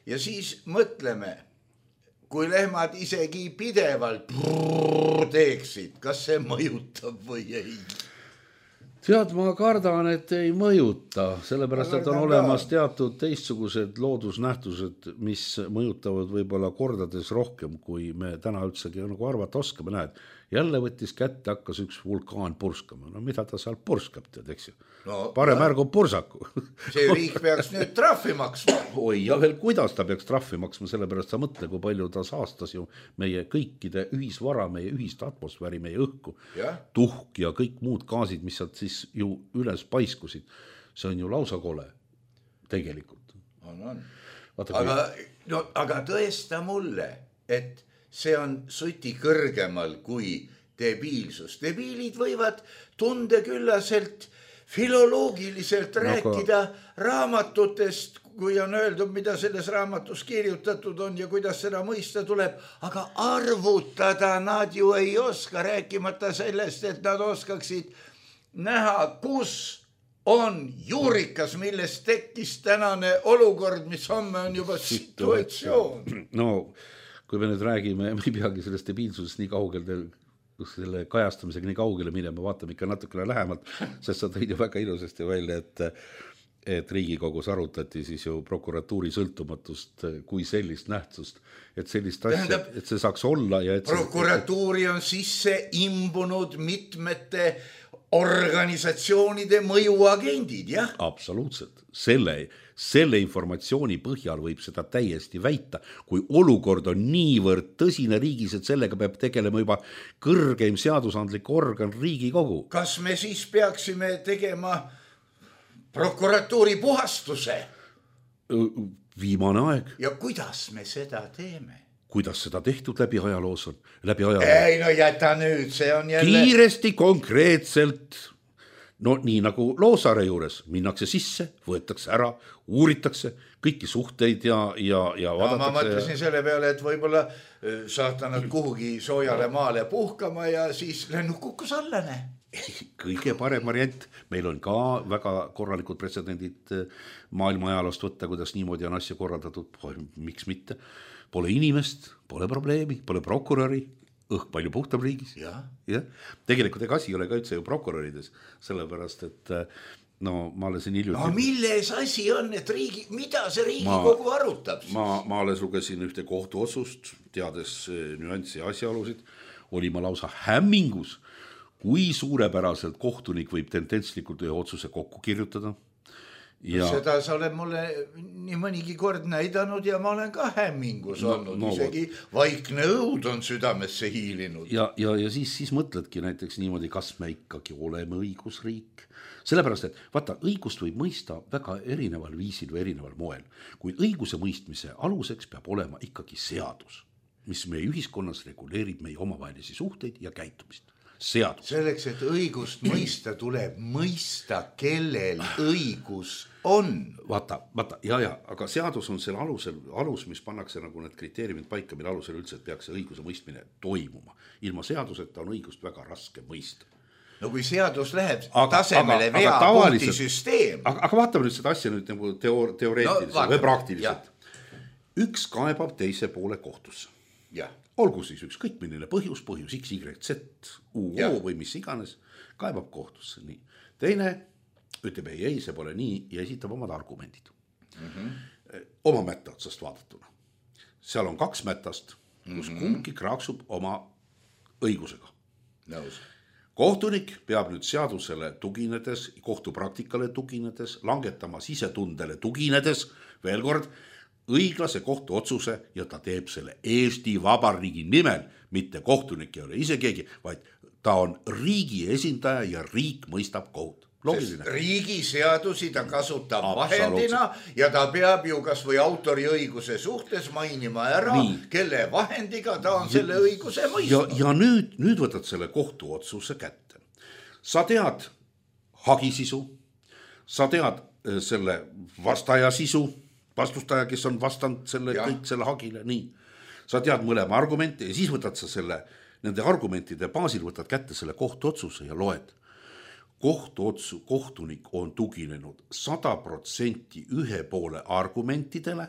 Ja siis mõtleme, kui lehmad isegi pidevalt teeksid, kas see mõjutab või ei? Tead, ma kardan, et ei mõjuta, sellepärast, et on olemas teatud teistsugused loodusnähtused, mis mõjutavad võib-olla kordades rohkem, kui me täna üldsegi nagu arvata oskame. Näed, jälle võttis kätte, hakkas üks vulkaan purskama. No mida ta seal purskab, tead, eks ju? No, parem ärgu pursaku. See riik peaks nüüd trahvi maksma. Oi, ja veel kuidas ta peaks trahvi maksma, sellepärast sa mõtle, kui palju ta saastas ju meie kõikide ühisvara, meie ühist atmosfääri, meie õhku, ja? Tuhk ja kõik muud gaasid, mis sealt siis ju üles paiskusid. See on ju lausa kole, tegelikult. On, on. Vaata, aga, no, aga tõesta mulle, et see on suti kõrgemal kui debiilsus. Debiilid võivad tundeküllaselt filoloogiliselt rääkida no, raamatutest, kui on öeldud, mida selles raamatus kirjutatud on ja kuidas seda mõista tuleb, aga arvutada nad ju ei oska, rääkimata sellest, et nad oskaksid näha, kus on juurikas, millest tekkis tänane olukord, mis homme on juba situatsioon. No, kui me nüüd räägime, me ei peagi sellest debiilsusest nii kaugel selle kajastamisega nii kaugele minema, vaatame ikka natukene lähemalt, sest sa tõid ju väga ilusasti välja, et, et Riigikogus arutati siis ju prokuratuuri sõltumatust kui sellist nähtust, et sellist asja, Tähendab, et see saaks olla. Ja et prokuratuuri on sisse imbunud mitmete organisatsioonide mõjuagendid, jah? Absoluutselt. Selle, selle informatsiooni põhjal võib seda täiesti väita, kui olukord on niivõrd tõsine riigis, et sellega peab tegelema juba kõrgeim seadusandlik organ Riigikogu. Kas me siis peaksime tegema prokuratuuri puhastuse? Viimane aeg. Ja kuidas me seda teeme? Kuidas seda tehtud läbi ajaloos on? Läbi ajaloos. Ei, no jäta nüüd, see on jälle... Kiiresti, konkreetselt, no nii nagu Loosaare juures, minnakse sisse, võetakse ära, uuritakse kõiki suhteid ja, ja, ja vaadatakse... No, ma mõtlesin selle peale, et võib-olla saata nad kuhugi soojale maale puhkama ja siis lennuk kukkus allane. kõige parem variant, meil on ka väga korralikud pretsedendid maailma ajaloost võtta, kuidas niimoodi on asja korraldatud, miks mitte. Pole inimest, pole probleemi, pole prokuröri, õhk palju puhtam riigis. Ja. Ja. Tegelikult ega asi ei ole ka üldse ju prokurörides, sellepärast, et no ma olen siin hiljuti... No milles asi on, et riigi, mida see Riigikogu ma, arutab? Ma, ma alles lugesin ühte kohtuotsust, teades nüanssi ja asjaolusid, oli ma lausa hämmingus, kui suurepäraselt kohtunik võib tendentslikult ühe otsuse kokku kirjutada. Ja... Seda sa oled mulle nii mõnigi kord näidanud ja ma olen ka hämmingus no, olnud, no, isegi vaikne õud on südamesse hiilinud. Ja, ja, ja siis, siis mõtledki näiteks niimoodi, kas me ikkagi oleme õigusriik. Sellepärast, et vaata, õigust võib mõista väga erineval viisil või erineval moel, kuid õiguse mõistmise aluseks peab olema ikkagi seadus, mis meie ühiskonnas reguleerib meie omavahelisi suhteid ja käitumist. Seadus. Selleks, et õigust mõista, tuleb mõista, kellel õigus on. Vaata, vaata, ja, ja, aga seadus on selle alusel, alus, mis pannakse nagu need kriteeriumid paika, mille alusel üldse peaks see õiguse mõistmine toimuma. Ilma seaduseta on õigust väga raske mõista. No kui seadus läheb aga, tasemele aga, vea aga punkti süsteem. Aga, aga vaatame nüüd seda asja nüüd nagu teoor, teoreetiliselt no, või praktiliselt. Ja. Üks kaebab teise poole kohtusse. Jah. Olgu siis üks kõik milline põhjus, põhjus X, Y, Z, U, O või mis iganes, kaebab kohtusse. Nii. Teine ütleb ei, ei, see pole nii ja esitab omad argumendid. Mm-hmm. Oma mätta otsast vaadatuna. Seal on kaks mättast, kus mm-hmm. kumbki kraaksub oma õigusega. Nõus. Kohtunik peab nüüd seadusele tuginedes, kohtupraktikale tuginedes, langetama sisetundele tuginedes, veel kord, õiglase kohtu otsuse ja ta teeb selle Eesti Vabariigi nimel, mitte kohtunik ei ole ise keegi, vaid ta on riigi esindaja ja riik mõistab kohut. Loogiline. Riigi seadusi ta kasutab vahendina ja ta peab ju kas või autoriõiguse suhtes mainima ära, nii. Kelle vahendiga ta on selle õiguse mõistnud. Ja, ja nüüd, nüüd võtad selle kohtu otsuse kätte. Sa tead hagisisu, sa tead selle vastaja sisu, vastustaja, kes on vastanud selle, kõik selle hagile, nii. Sa tead mõlema argumente ja siis võtad sa selle, nende argumentide baasil võtad kätte selle kohtuotsuse ja loed. Kohtuotsu, kohtunik on tuginenud sada protsenti ühe poole argumentidele,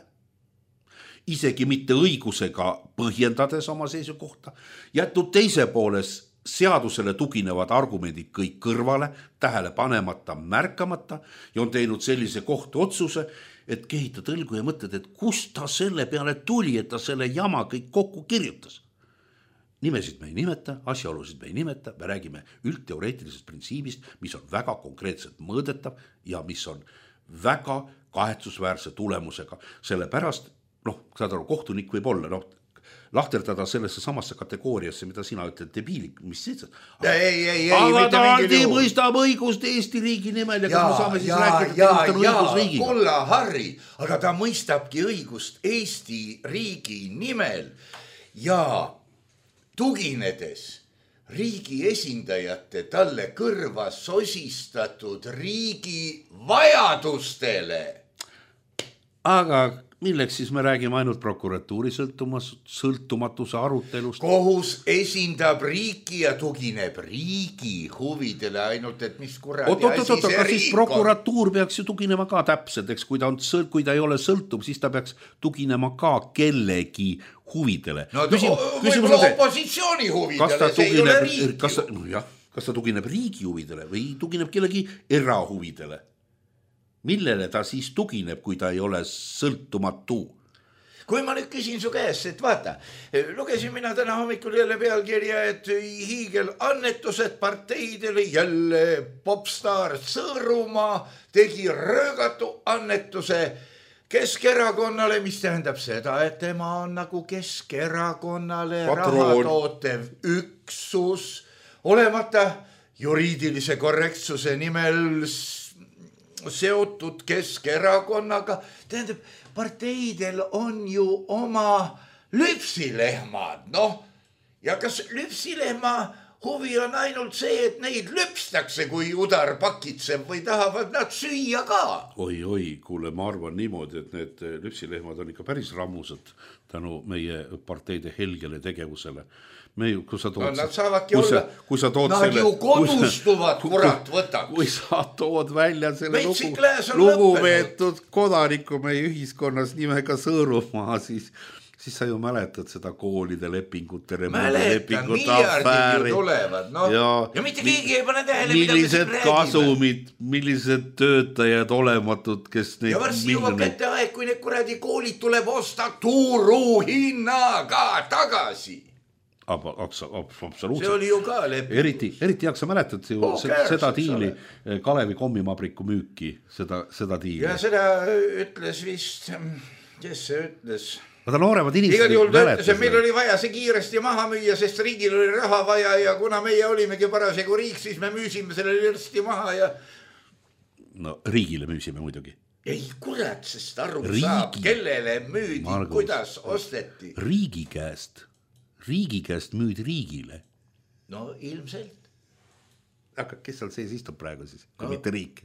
isegi mitte õigusega põhjendades oma seisukohta, jätnud teise pooles seadusele tuginevad argumendid kõik kõrvale, tähele panemata, märkamata ja on teinud sellise kohtuotsuse, et kehitad õlgu ja mõtled, et kust ta selle peale tuli, et ta selle jama kõik kokku kirjutas. Nimesid me ei nimeta, asjaolusid me ei nimeta, me räägime üldteoreetilisest printsiibist, mis on väga konkreetselt mõõdetav ja mis on väga kahetsusväärse tulemusega. Selle pärast, noh, saad aru, kohtunik võib olla, noh, lahterdada sellesse samasse kategooriasse, mida sina ütled, debiilik, mis siis? Ei, ei, ei, aga ta aldi mõistab õigust Eesti riigi nimel ja, ja kas me saame siis ja, rääkida, ja, et ja, õigusriigiga? Kolla Harri, aga ta mõistabki õigust Eesti riigi nimel ja tuginedes riigi esindajate talle kõrva sosistatud riigi vajadustele. Aga milleks siis me räägime ainult prokuratuuri sõltumatuse arutelust? Kohus esindab riiki ja tugineb riigi huvidele ainult, et mis kuradi oot, oot, asi oot, see riik on. Prokuratuur peaks ju tuginema ka täpselt, eks kui ta, on, kui ta ei ole sõltum, siis ta peaks tuginema ka kellegi huvidele. No Küsim, võib-olla opositsiooni huvidele, see ei ole riigi. Kas ta, no jah, kas ta tugineb riigi huvidele või tugineb kellegi erahuvidele? Millele ta siis tugineb, kui ta ei ole sõltumatu? Kui ma nüüd küsin su käest, et vaata, lugesin mina täna hommikul jälle pealkirja, et hiigel annetused parteidele, jälle popstar Sõõrumaa tegi röögatu annetuse Keskerakonnale, mis tähendab seda, et tema on nagu Keskerakonnale raha tootev üksus, olemata juriidilise korrektsuse nimel seotud Keskerakonnaga. Tähendab, parteidel on ju oma lüpsilehmad, noh, ja kas lüpsilehma huvi on ainult see, et neid lüpstakse, kui udar pakitseb või tahavad nad süüa ka. Oi, oi, kuule, ma arvan niimoodi, et need lüpsilehmad on ikka päris rammused tänu meie parteide helgele tegevusele. Me ju, kui sa tood... No, nad saavadki olla... Kui sa tood nad selle, ju kodustuvad, kui, kurat, võtaks. Kui sa tood välja selle lugu, lugupeetud kodaniku meie ühiskonnas nimega Sõõrumaa, siis, siis sa ju mäletad seda koolide lepingute, mäletan, miljardid ju tulevad. No, ja, ja mitte keegi ei pane tähele, millised kasumid, millised töötajad olematud, kes neid... Ja varsti juba kätte aeg, kui need kuradi koolid tuleb osta turuhinnaga tagasi. Absoluutselt. See oli ju ka leping. Eriti, eriti jak sa mäletad ju oh, seda, seda diili, Kalevi kommimabriku müüki, seda, seda diili. Ja seda ütles vist, kes see ütles? Vaata nooremad inimesed... Igal juhul ta ütles, et meil oli vaja see kiiresti maha müüa, sest riigil oli raha vaja ja kuna meie olimegi parasjagu riik, siis me müüsime selle lirsti maha ja... No riigile müüsime muidugi. Ei kurat, sest aru riigi... saab, kellele müüdi, Margus, kuidas osteti. Riigi käest. Riigi käest müüdi riigile. No ilmselt. Aga kes seal sees istub praegu siis, kui no, mitte riik?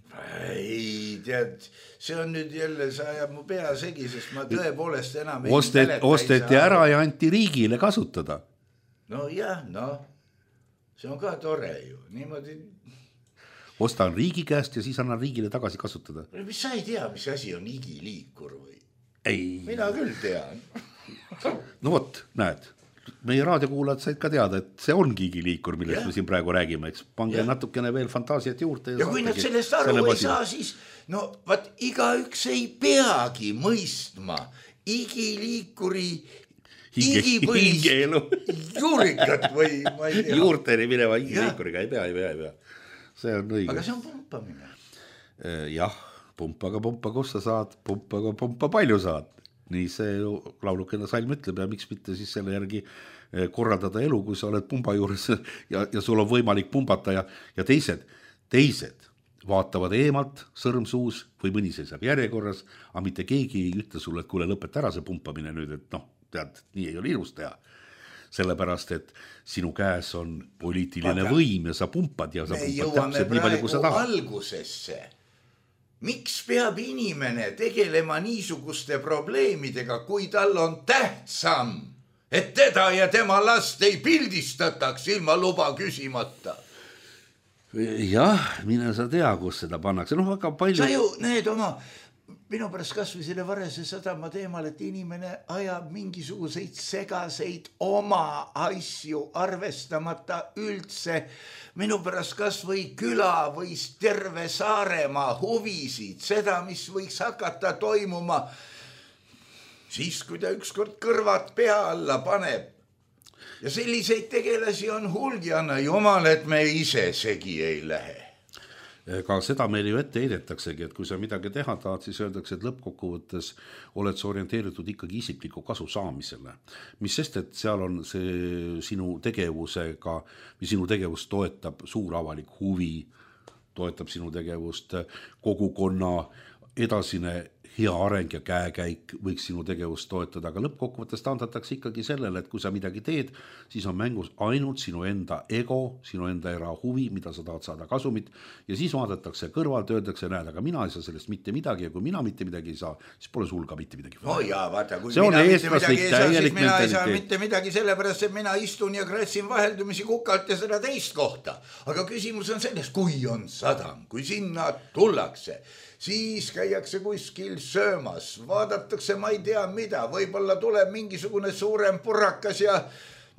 Ei, tead, see on nüüd jälle, sa ajab mu pea segi, sest ma tõepoolest enam ei Ostet, mäleta. Osteti ära ja anti riigile kasutada. No jah, no, see on ka tore ju, niimoodi. Ostan riigi käest ja siis annan riigile tagasi kasutada. Mis sa ei tea, mis asi on igiliikur või? Ei. Mina küll tean. No vot, näed. Meie raadiokuulajad said ka teada, et see ongi igiliikur, millest ja. Me siin praegu räägime, eks pange ja. Natukene veel fantaasiat juurde. Ja, ja kui nad sellest aru ei pasina. Saa, siis no vaat iga üks ei peagi mõistma igiliikuri Hinge, igipõlist juurikat või ma ei tea. Juurteni mineva igiliikuriga ei pea, ei pea, ei pea. See on õige. Aga see on pumpamine. Jah, pumpaga pumpa, kus sa saad, pumpaga pumpa palju saad. Nii see laulukene salm ütleb ja miks mitte siis selle järgi korraldada elu, kui sa oled pumba juures ja, ja sul on võimalik pumbata ja, ja teised, teised vaatavad eemalt sõrmsuus või mõni seisab järjekorras, aga mitte keegi ei ütle sulle, et kuule lõpeta ära see pumpamine nüüd, et noh, tead, nii ei ole ilus teha. Sellepärast, et sinu käes on poliitiline aga võim ja sa pumpad ja sa pumpad täpselt nii palju, kui sa tahad. Algusesse. Miks peab inimene tegelema niisuguste probleemidega, kui tal on tähtsam, et teda ja tema last ei pildistataks ilma luba küsimata? Jah, mine sa tea, kus seda pannakse. No, väga palju... Sa ju need oma, minu pärast kas või selle Varese sadama teemal, et inimene ajab mingisuguseid segaseid oma asju arvestamata üldse. Minu pärast kas või küla või terve Saaremaa huvisid, seda, mis võiks hakata toimuma, siis kui ta ükskord kõrvad pea alla paneb. Ja selliseid tegelasi on hulgi, anna jumal, et me ise segi ei lähe. Ka seda meil ju ette heidetaksegi, et kui sa midagi teha tahad, siis öeldakse, et lõppkokkuvõttes oled sa orienteeritud ikkagi isikliku kasu saamisele. Mis sest, et seal on see sinu tegevusega, või sinu tegevust toetab suur avalik huvi, toetab sinu tegevust kogukonna edasine hea areng ja käekäik võiks sinu tegevust toetada, aga lõppkokkuvõttes taandatakse ikkagi sellele, et kui sa midagi teed, siis on mängus ainult sinu enda ego, sinu enda erahuvi, mida sa tahad saada kasumit ja siis vaadatakse kõrvalt, öeldakse, näed, aga mina ei saa sellest mitte midagi ja kui mina mitte midagi ei saa, siis pole sul ka mitte midagi. No jaa, vaata, kui see mina mitte midagi ei saa, siis mina ei saa mitte midagi sellepärast, et mina istun ja kratsin vaheldumisi kukalt ja seda teist kohta. Aga küsimus on selles, kui on sadam, kui sinna tullakse, siis käiakse kuskil söömas, vaadatakse, ma ei tea mida, võib-olla tuleb mingisugune suurem purrakas ja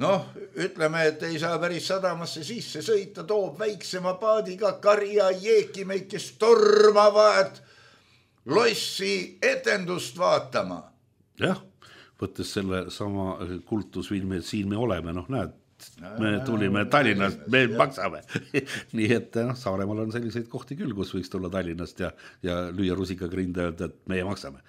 noh, ütleme, et ei saa päris sadamasse sisse sõita, toob väiksema paadiga karja jeekimeid, kes tormavad lossi etendust vaatama. Jah, võttes selle sama kultusfilmi, et siin me oleme, noh näed, me tulime Tallinnast, me maksame. Nii et no, Saaremaal on selliseid kohti küll, kus võiks tulla Tallinnast ja, ja lüüa rusikaga rinde öelda, et meie maksame.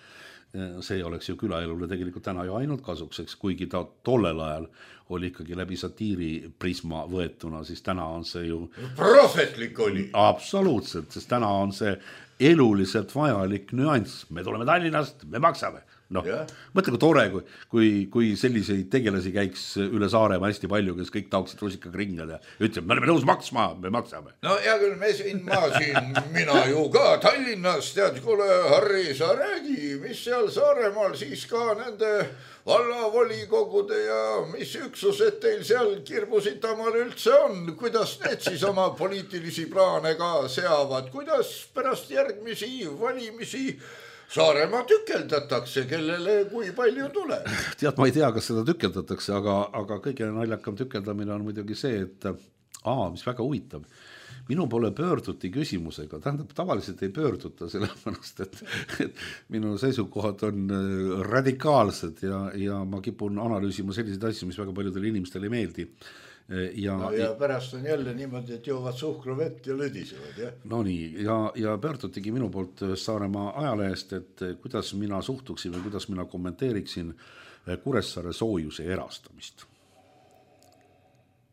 See oleks ju külaelule tegelikult täna ju ainult kasukseks, kuigi ta tollel ajal oli ikkagi läbi satiiri prisma võetuna, siis täna on see ju... Prohvetlik oli. Absoluutselt, sest täna on see eluliselt vajalik nüanss. Me tuleme Tallinnast, me maksame. noh, Jah. mõtle kui tore, kui, kui, kui selliseid tegelasi käiks üle Saaremaa hästi palju, kes kõik taoksid rusikaga ringad ja ütleb, me oleme nõus maksma, me maksame. No hea küll, me siin, ma siin, mina ju ka Tallinnas, tead, kuule, Harri, sa räägi, mis seal Saaremaal siis ka nende vallavolikogude ja mis üksused teil seal Kirbu-Sitamaal üldse on, kuidas need siis oma poliitilisi plaane ka seavad, kuidas pärast järgmisi valimisi Saaremaa tükeldatakse, kellele kui palju tuleb. Tead, ma ei tea, kas seda tükeldatakse, aga, aga kõige naljakam tükeldamine on muidugi see, et aa, mis väga huvitav, minu poole pöörduti küsimusega, tähendab, tavaliselt ei pöörduta sellepärast, et, et minu seisukohad on radikaalsed ja, ja ma kipun analüüsima selliseid asju, mis väga paljudele inimestele ei meeldi. Ja, no ja pärast on jälle niimoodi, et joovad suhkruvett ja lõdisevad, jah? No nii, ja, ja pöördutigi minu poolt Saaremaa ajalehest, et kuidas mina suhtuksin või kuidas mina kommenteeriksin Kuressaare soojuse erastamist.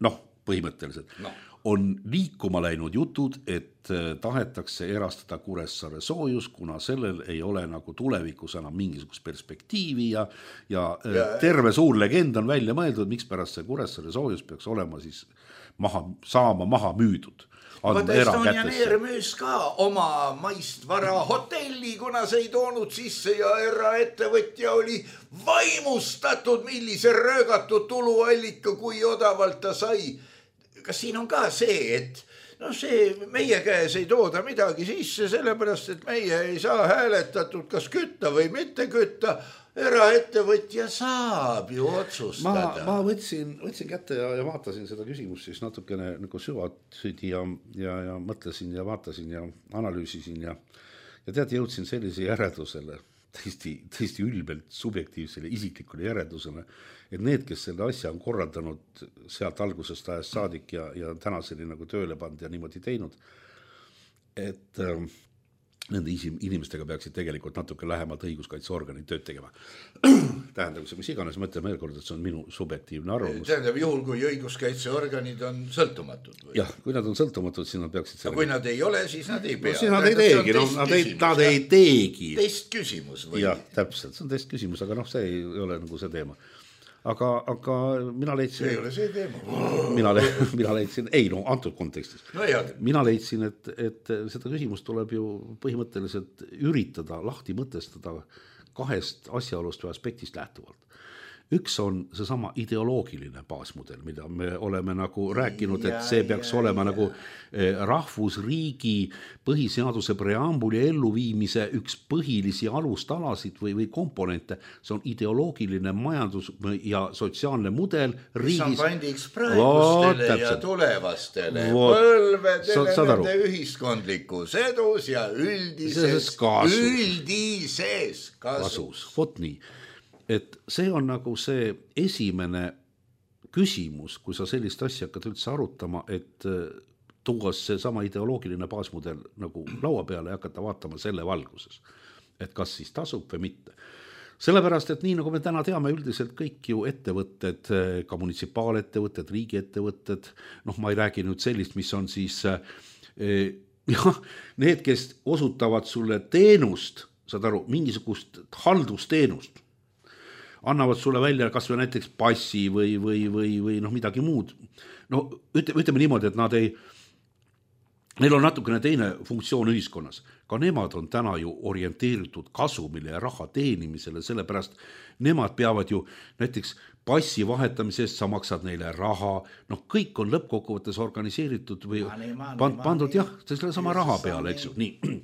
Noh, põhimõtteliselt. No. On liikuma läinud jutud, et tahetakse erastada Kuressaare soojus, kuna sellel ei ole nagu tulevikus enam mingisugust perspektiivi ja, ja, ja terve suur legend on välja mõeldud, miks pärast see Kuressaare soojus peaks olema siis maha, saama maha müüdud. Vaata, Estonian Air müüs ka oma maistvara hotelli, kuna see ei toonud sisse ja eraettevõtja oli vaimustatud, millise röögatud tuluallika, kui odavalt ta sai. Kas siin on ka see, et no see meie käes ei tooda midagi sisse, sellepärast, et meie ei saa hääletatud kas kütta või mitte kütta, eraettevõtja saab ju otsustada. Ma, ma võtsin, võtsin kätte ja, ja vaatasin seda küsimust siis natukene nagu süvatsüdi ja, ja, ja mõtlesin ja vaatasin ja analüüsisin ja, ja tead, jõudsin sellise järeldusele, tõesti, tõesti ülbelt subjektiivsele isiklikule järeldusele, et need, kes selle asja on korraldanud sealt algusest ajast saadik ja, ja tänaseni nagu tööle pand ja niimoodi teinud, et äh, nende inimestega peaksid tegelikult natuke lähemalt õiguskaitseorganid tööd tegema. Tähendab, mis iganes mõtleme veel kord, et see on minu subjektiivne arvamus. Tähendab, juhul, kui õiguskaitseorganid on sõltumatud? Või? Jah, kui nad on sõltumatud, siis nad peaksid... No, kui nad ei ole, siis nad ei pea. No, siis nad ei teegi, no, nad, ei, nad ei teegi. Teist küsimus või? Jah, täpselt, see on teist küsimus, aga noh, see ei ole nagu see teema. Aga, aga mina leidsin... See ei ole see teema. Mina, le, mina leidsin, ei no, antud kontekstis. No, mina leidsin, et, et seda küsimust tuleb ju põhimõtteliselt üritada lahti mõtestada kahest asjaolust või aspektist lähtuvalt. Üks on seesama ideoloogiline baasmudel, mida me oleme nagu rääkinud, et see peaks ja, olema ja. nagu rahvusriigi põhiseaduse preambuli elluviimise üks põhilisi alustalasid või, või komponente. See on ideoloogiline majandus ja sotsiaalne mudel riigis. Mis on pandiks praegustele oh, ja tulevastele põlvedele nende ühiskondlikus edus ja üldises, üldises kasus. kasus. Vot nii. Et see on nagu see esimene küsimus, kui sa sellist asja hakkad üldse arutama, et tuua see sama ideoloogiline baasmudel nagu laua peale ja hakata vaatama selle valguses, et kas siis tasub või mitte. Sellepärast, et nii nagu me täna teame üldiselt kõik ju ettevõtted, ka munitsipaalettevõtted, riigiettevõtted, noh ma ei räägi nüüd sellist, mis on siis jah, need, kes osutavad sulle teenust, saad aru, mingisugust haldusteenust, annavad sulle välja kas või näiteks passi või, või, või, või noh, midagi muud. No ütleme, ütleme niimoodi, et nad ei, neil on natukene teine funktsioon ühiskonnas. Ka nemad on täna ju orienteeritud kasumile ja raha teenimisele, sellepärast nemad peavad ju näiteks passi vahetamise eest, sa maksad neile raha, noh kõik on lõppkokkuvõttes organiseeritud või mani, mani, pand, pandud mani. Jah, selle sama raha peale, eks ju, nii.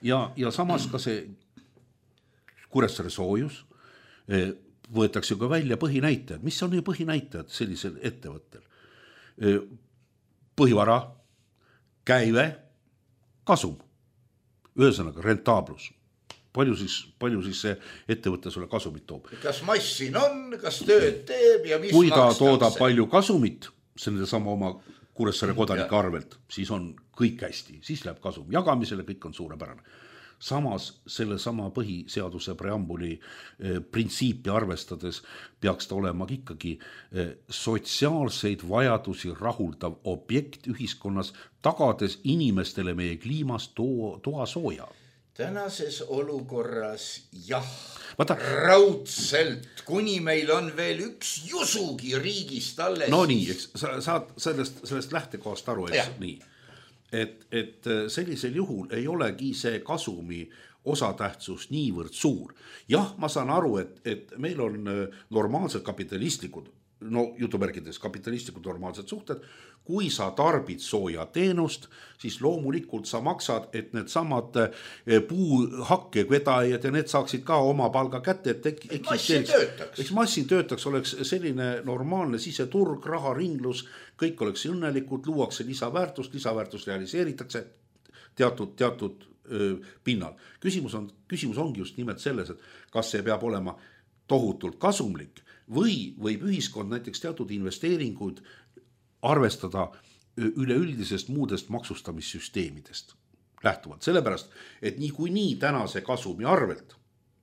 Ja, ja samas ka see Kuressaare soojus, võetakse ka välja põhinäitajad. Mis on ju põhinäitajad sellisel ettevõttel? Põhivara, käive, kasum. Ühesõnaga, rentaablus. Palju siis, palju siis see ettevõte sulle kasumit toob? Kas massin on, kas tööd teeb ja mis kui ta makstakse? Toodab palju kasumit, selle sama oma Kuressaare kodanike arvelt, siis on kõik hästi, siis läheb kasum jagamisele, kõik on suurepärane. Samas selle sama põhiseaduse preambuli eh, printsiipi arvestades peaks ta olema ikkagi eh, sotsiaalseid vajadusi rahuldav objekt ühiskonnas, tagades inimestele meie kliimas to- toa sooja. tänases olukorras jah, Vaata, raudselt, kuni meil on veel üks jusugi riigist alles. No nii, eks, sa saad sellest, sellest lähtekohast aru, eks, nii. Et, et sellisel juhul ei olegi see kasumi osatähtsus niivõrd suur. Jah, ma saan aru, et, et meil on normaalsed kapitalistlikud, no jutumärkides kapitalistlikud normaalsed suhted, kui sa tarbid sooja teenust, siis loomulikult sa maksad, et need samad puuhakke vedajad ja need saaksid ka oma palga kätte, et massin töötaks. Eks massin töötaks, oleks selline normaalne siseturg, raharinglus, kõik oleks õnnelikud, luuakse lisaväärtust, lisaväärtust realiseeritakse teatud, teatud öö, pinnal. Küsimus, on, küsimus ongi just nimelt selles, et kas see peab olema tohutult kasumlik või võib ühiskond näiteks teatud investeeringuid arvestada üleüldisest muudest maksustamissüsteemidest lähtuvalt. Sellepärast, et nii kui nii tänase kasumi arvelt,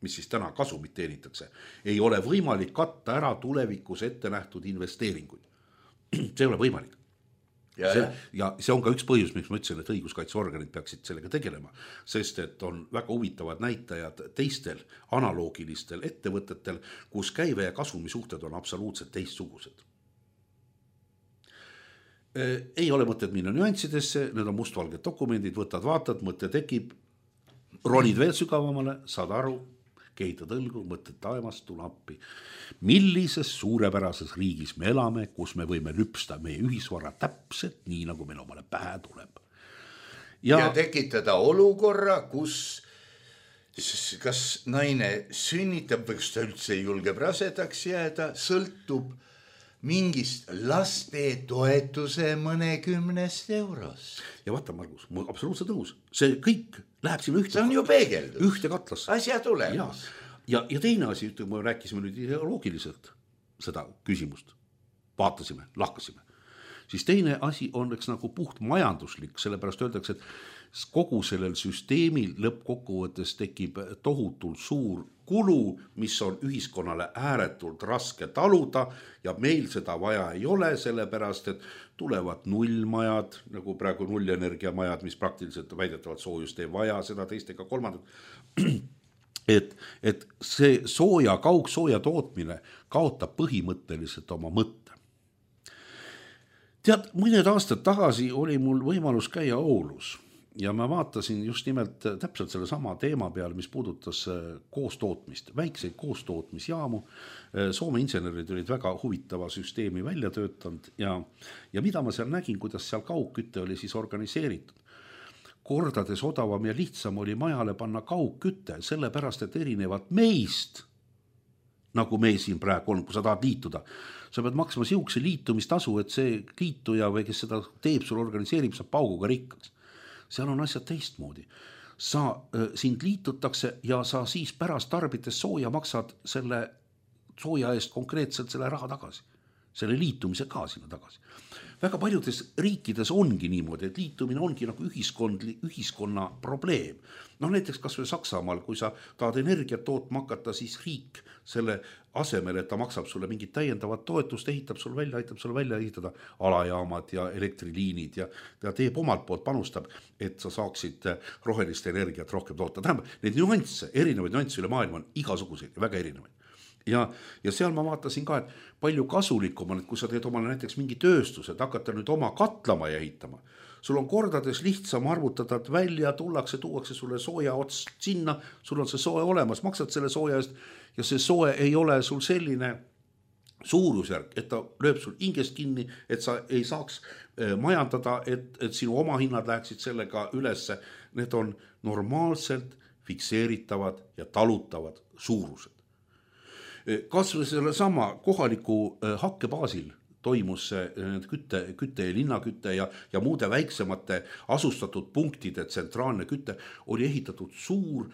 mis siis täna kasumit teenitakse, ei ole võimalik katta ära tulevikus ette nähtud investeeringuid. See ei ole võimalik. Ja, see, ja see on ka üks põhjus, miks ma ütlesin, et õiguskaitseorganid peaksid sellega tegelema, sest et on väga huvitavad näitajad teistel analoogilistel ettevõtetel, kus käive ja kasumi suhted on absoluutselt teistsugused. Ei ole mõtted minna nüanssidesse, need on mustvalged dokumendid, võtad, vaatad, mõte tekib, ronid veel sügavamale, saad aru, kehitad õlgu, mõtted taevast, tule appi. Millises suurepärases riigis me elame, kus me võime lüpsta meie ühisvara täpselt nii, nagu meil omale pähe tuleb. Ja, ja tekitada olukorra, kus kas naine sünnitab või kas ta üldse julgeb rasedaks jääda, sõltub mingist laste toetuse mõnekümnest eurost. Ja vaata, Margus, mul absoluutselt tõus. See kõik läheb sinna ühte. See on ju peegeldus. Ühte katlasse. Asja tulemas. Ja, ja teine asi, kui me rääkisime nüüd ideoloogiliselt seda küsimust, vaatasime, lahkasime, siis teine asi on eks nagu puht majanduslik, sellepärast öeldakse, et kogu sellel süsteemil lõppkokkuvõttes tekib tohutult suur kulu, mis on ühiskonnale ääretult raske taluda ja meil seda vaja ei ole, sellepärast, et tulevad nullmajad, nagu praegu nullenergiamajad, mis praktiliselt väidetavalt soojust ei vaja, seda teist ega kolmandat. Et, et see sooja, kaugsooja tootmine kaotab põhimõtteliselt oma mõtte. Tead, mõned aastad tagasi oli mul võimalus käia Oulus ja ma vaatasin just nimelt täpselt selle sama teema peal, mis puudutas koostootmist, väikseid koostootmisjaamu. Soome insenerid olid väga huvitava süsteemi välja töötanud ja, ja mida ma seal nägin, kuidas seal kaugkütte oli siis organiseeritud. Kordades odavam ja lihtsam oli majale panna kaugkütte, sellepärast, et erinevad meist, nagu me siin praegu on, kui sa tahad liituda, sa pead maksma siukse liitumistasu, et see liituja või kes seda teeb, sul organiseerib, saab pauguga rikkaks. Seal on asjad teistmoodi. Sa, sind liitutakse ja sa siis pärast tarbites sooja maksad selle sooja eest konkreetselt selle raha tagasi. Selle liitumise ka sinna tagasi. Väga paljudes riikides ongi niimoodi, et liitumine ongi nagu ühiskond, ühiskonna probleem. No näiteks kas või Saksamaal, kui sa tahad energiat tootma hakata, siis riik selle asemel, et ta maksab sulle mingit täiendavat toetust, ehitab sul välja, aitab sul välja ehitada alajaamad ja elektriliinid ja ta teeb omalt poolt, panustab, et sa saaksid rohelist energiat rohkem toota. Tähendab, neid nüansse, erinevaid nüansse üle maailma on igasuguseid ja väga erinevaid. Ja, ja seal ma vaatasin ka, et palju kasulikum on, et kui sa teed omale näiteks mingi tööstuse, et hakata nüüd oma katlama ja ehitama. Sul on kordades lihtsam arvutada, et välja tullakse, tuuakse sulle sooja ots sinna, sul on see soe olemas, maksad selle sooja eest ja see soe ei ole sul selline suurusjärk, et ta lööb sul hingest kinni, et sa ei saaks majandada, et, et sinu oma hinnad läheksid sellega ülesse. Need on normaalselt fikseeritavad ja talutavad suurused. Kas või selle sama kohaliku hakke baasil toimus kütte, kütte ja linnakütte ja, ja muude väiksemate asustatud punktide tsentraalne kütte oli ehitatud suur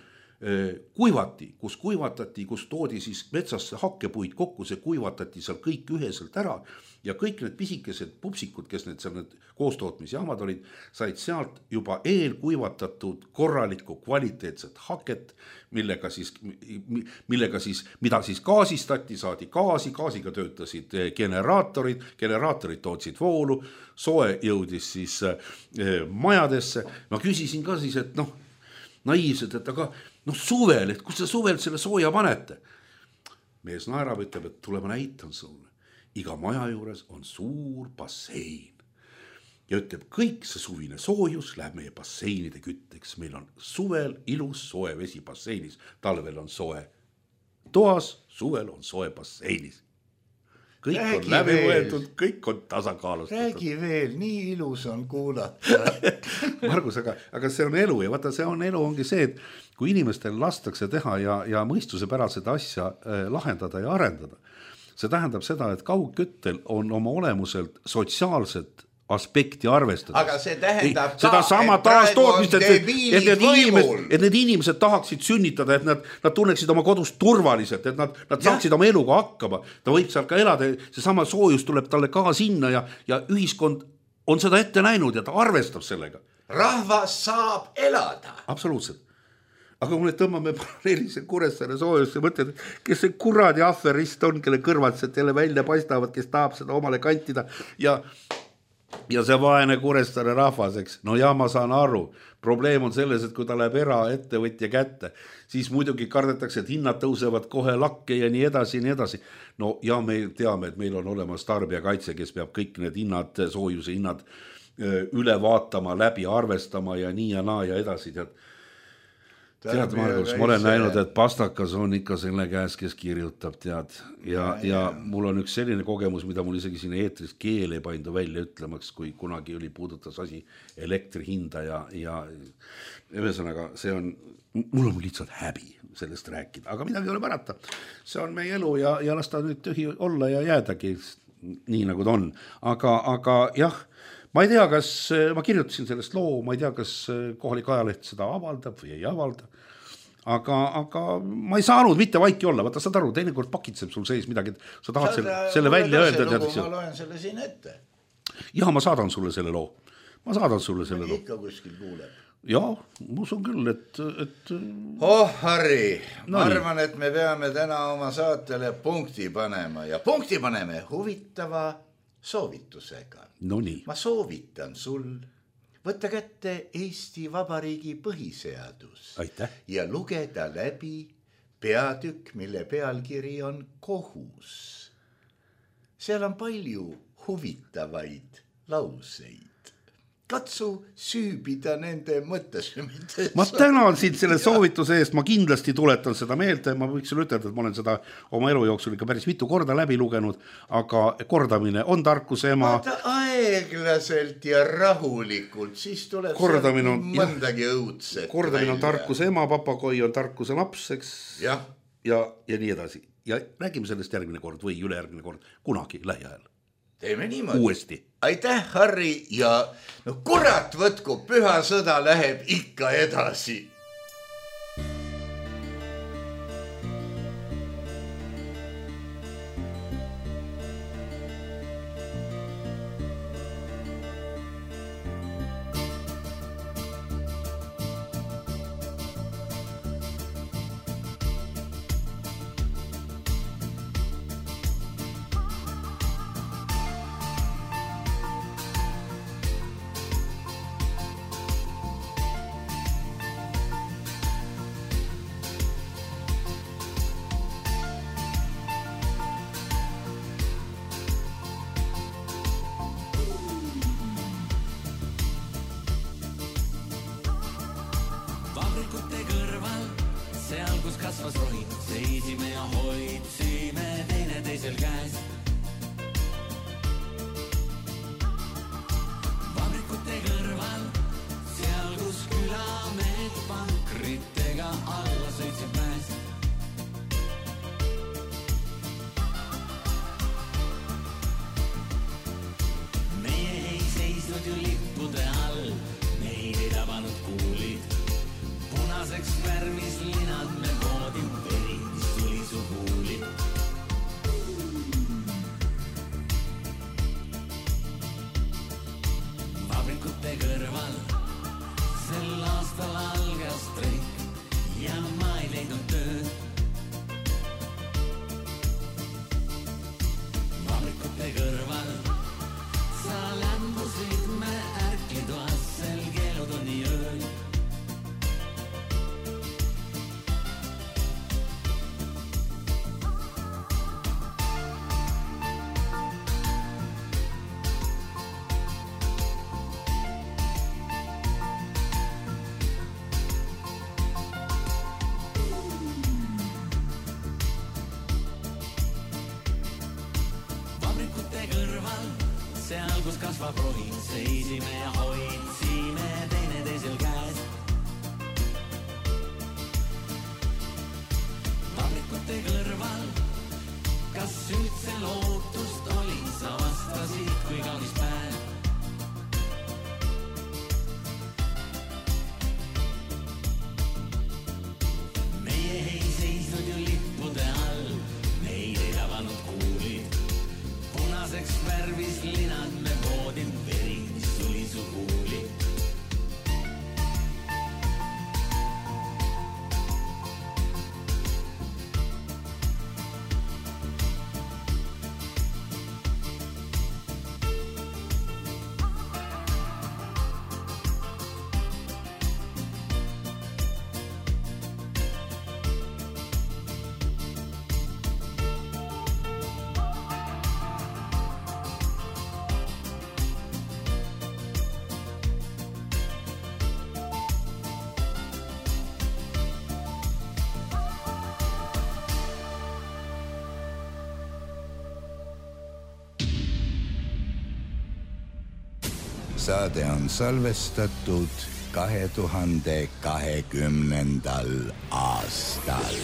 kuivati, kus kuivatati, kus toodi siis metsasse hakkepuid kokku, see kuivatati seal kõik üheselt ära ja kõik need pisikesed pupsikud, kes need seal need koostootmisjaamad olid, said sealt juba eelkuivatatud korralikku kvaliteetset haket, millega siis, millega siis, mida siis gaasistati, saadi gaasi, gaasiga töötasid generaatorid, generaatorid tootsid voolu, soe jõudis siis majadesse. Ma küsisin ka siis, et noh, naiivsed, et aga noh suvel, et kus te suvel selle sooja panete? Mees naerab, ütleb, et tule ma näitan sulle. Iga maja juures on suur bassein. Ja ütleb, kõik see suvine soojus läheb meie basseinide kütteks. Meil on suvel ilus soe vesi basseinis. Talvel on soe toas, suvel on soe basseinis. Kõik Räägi on läbi võetud, kõik on tasakaalustatud. Räägi veel, nii ilus on kuulata. Margus, aga, aga see on elu ja vaata, see on elu ongi see, et kui inimestel lastakse teha ja, ja mõistuse pärast seda asja eh, lahendada ja arendada, see tähendab seda, et kaugküttel on oma olemuselt sotsiaalset aspekti arvestades. Aga see tähendab seda ka, sama taastootmist, et, et, et, need inimesed, et need inimesed tahaksid sünnitada, et nad, nad tunneksid oma kodus turvaliselt, et nad, nad saaksid oma eluga hakkama. Ta võib seal ka elada, see sama soojus tuleb talle ka sinna ja, ja ühiskond on seda ette näinud ja ta arvestab sellega. Rahvas saab elada. Absoluutselt. Aga kui me tõmbame paralleelise Kuressaare soojus ja mõtled, kes see kuradi aferist on, kelle kõrvatsed jälle välja paistavad, kes tahab seda omale kantida ja Ja see vaene Kuressaare rahvas, eks. No ja ma saan aru, probleem on selles, et kui ta läheb eraettevõtja kätte, siis muidugi kardetakse, et hinnad tõusevad kohe lakke ja nii edasi ja nii edasi. No ja me teame, et meil on olemas tarbijakaitse, kes peab kõik need hinnad, soojuse hinnad üle vaatama, läbi arvestama ja nii ja naa ja edasi. Tead, tead Margus, ma olen näinud, et pastakas on ikka selle käes, kes kirjutab, tead. Ja, ja, ja mul on üks selline kogemus, mida mul isegi siin eetris keele paindu välja ütlemaks, kui kunagi oli puudutas asi elektri hinda ja, ja ühesõnaga see on, mul on lihtsalt häbi sellest rääkida, aga midagi ei ole pärata. See on meie elu ja, ja las ta nüüd tühi olla ja jäädagi nii nagu ta on. Aga, aga jah, ma ei tea, kas ma kirjutasin sellest loo, ma ei tea, kas kohalik ajaleht seda avaldab või ei avalda. Aga, aga ma ei saanud mitte vaiki olla, vaata saad aru, teinekord pakitseb sul sees midagi, et sa tahad sa, selle, selle välja öelda. Ma loen selle siin ette. Ja ma saadan sulle selle loo. Ma saadan sulle selle loo. Ikka kuskil kuuleb. Ja, ma usun küll, et... et... Oh, Harri, no ma arvan, et me peame täna oma saatele punkti panema ja punkti paneme huvitava soovitusega. No nii. Ma soovitan sul võtta kätte Eesti Vabariigi põhiseadus. Aitäh. Ja lugeda läbi peatükk, mille pealkiri on kohus. Seal on palju huvitavaid lauseid. Katsu süübida nende mõttesümites. Ma tänan sind selle soovituse eest, ma kindlasti tuletan seda meelde, ma võiks sulle ütelda, et ma olen seda oma elu jooksul ikka päris mitu korda läbi lugenud, aga kordamine on tarkuse ema. Vaata aeglaselt ja rahulikult, siis tuleb kordamine on, mõndagi õudset. Kordamine on tarkuse ema, papagoi on tarkuse laps, eks? Ja. Ja, ja nii edasi. Ja räägime sellest järgmine kord või ülejärgmine kord, kunagi lähiajal. Teeme niimoodi. Uuesti. Aitäh, Harri, ja no kurat võtku, püha sõda läheb ikka edasi. kasvas rohi, seisime ja hoidsime teine teisel käes. Vabrikute kõrval, seal kus külamehed pankritega alla sõitsid mäes. Meie ei seisnud ju lippude all, meid ei tabanud kuulid. Punaseks värmis linad me voodin, veri, mis tuli su kuuli. Vabrikute kõrval sel aastal algas streik ja ma ei leidnud tööd. Vabrikute kõrval sa lämbusid me ärklitoas sel keelutunni ööl. kus kasvab rohin, seisime ja hoidsime teine teisel käes. Tabrikute kõrval, kas üldse lootust oli, sa vastasid kui kaunis päev. Meie ei seisnud ju lippude all, neid ei tabanud kuulid. Punaseks värvis linad me voodin, veri, mis tuli su kuuli. Saade on salvestatud kahe tuhande kahekümnendal aastal.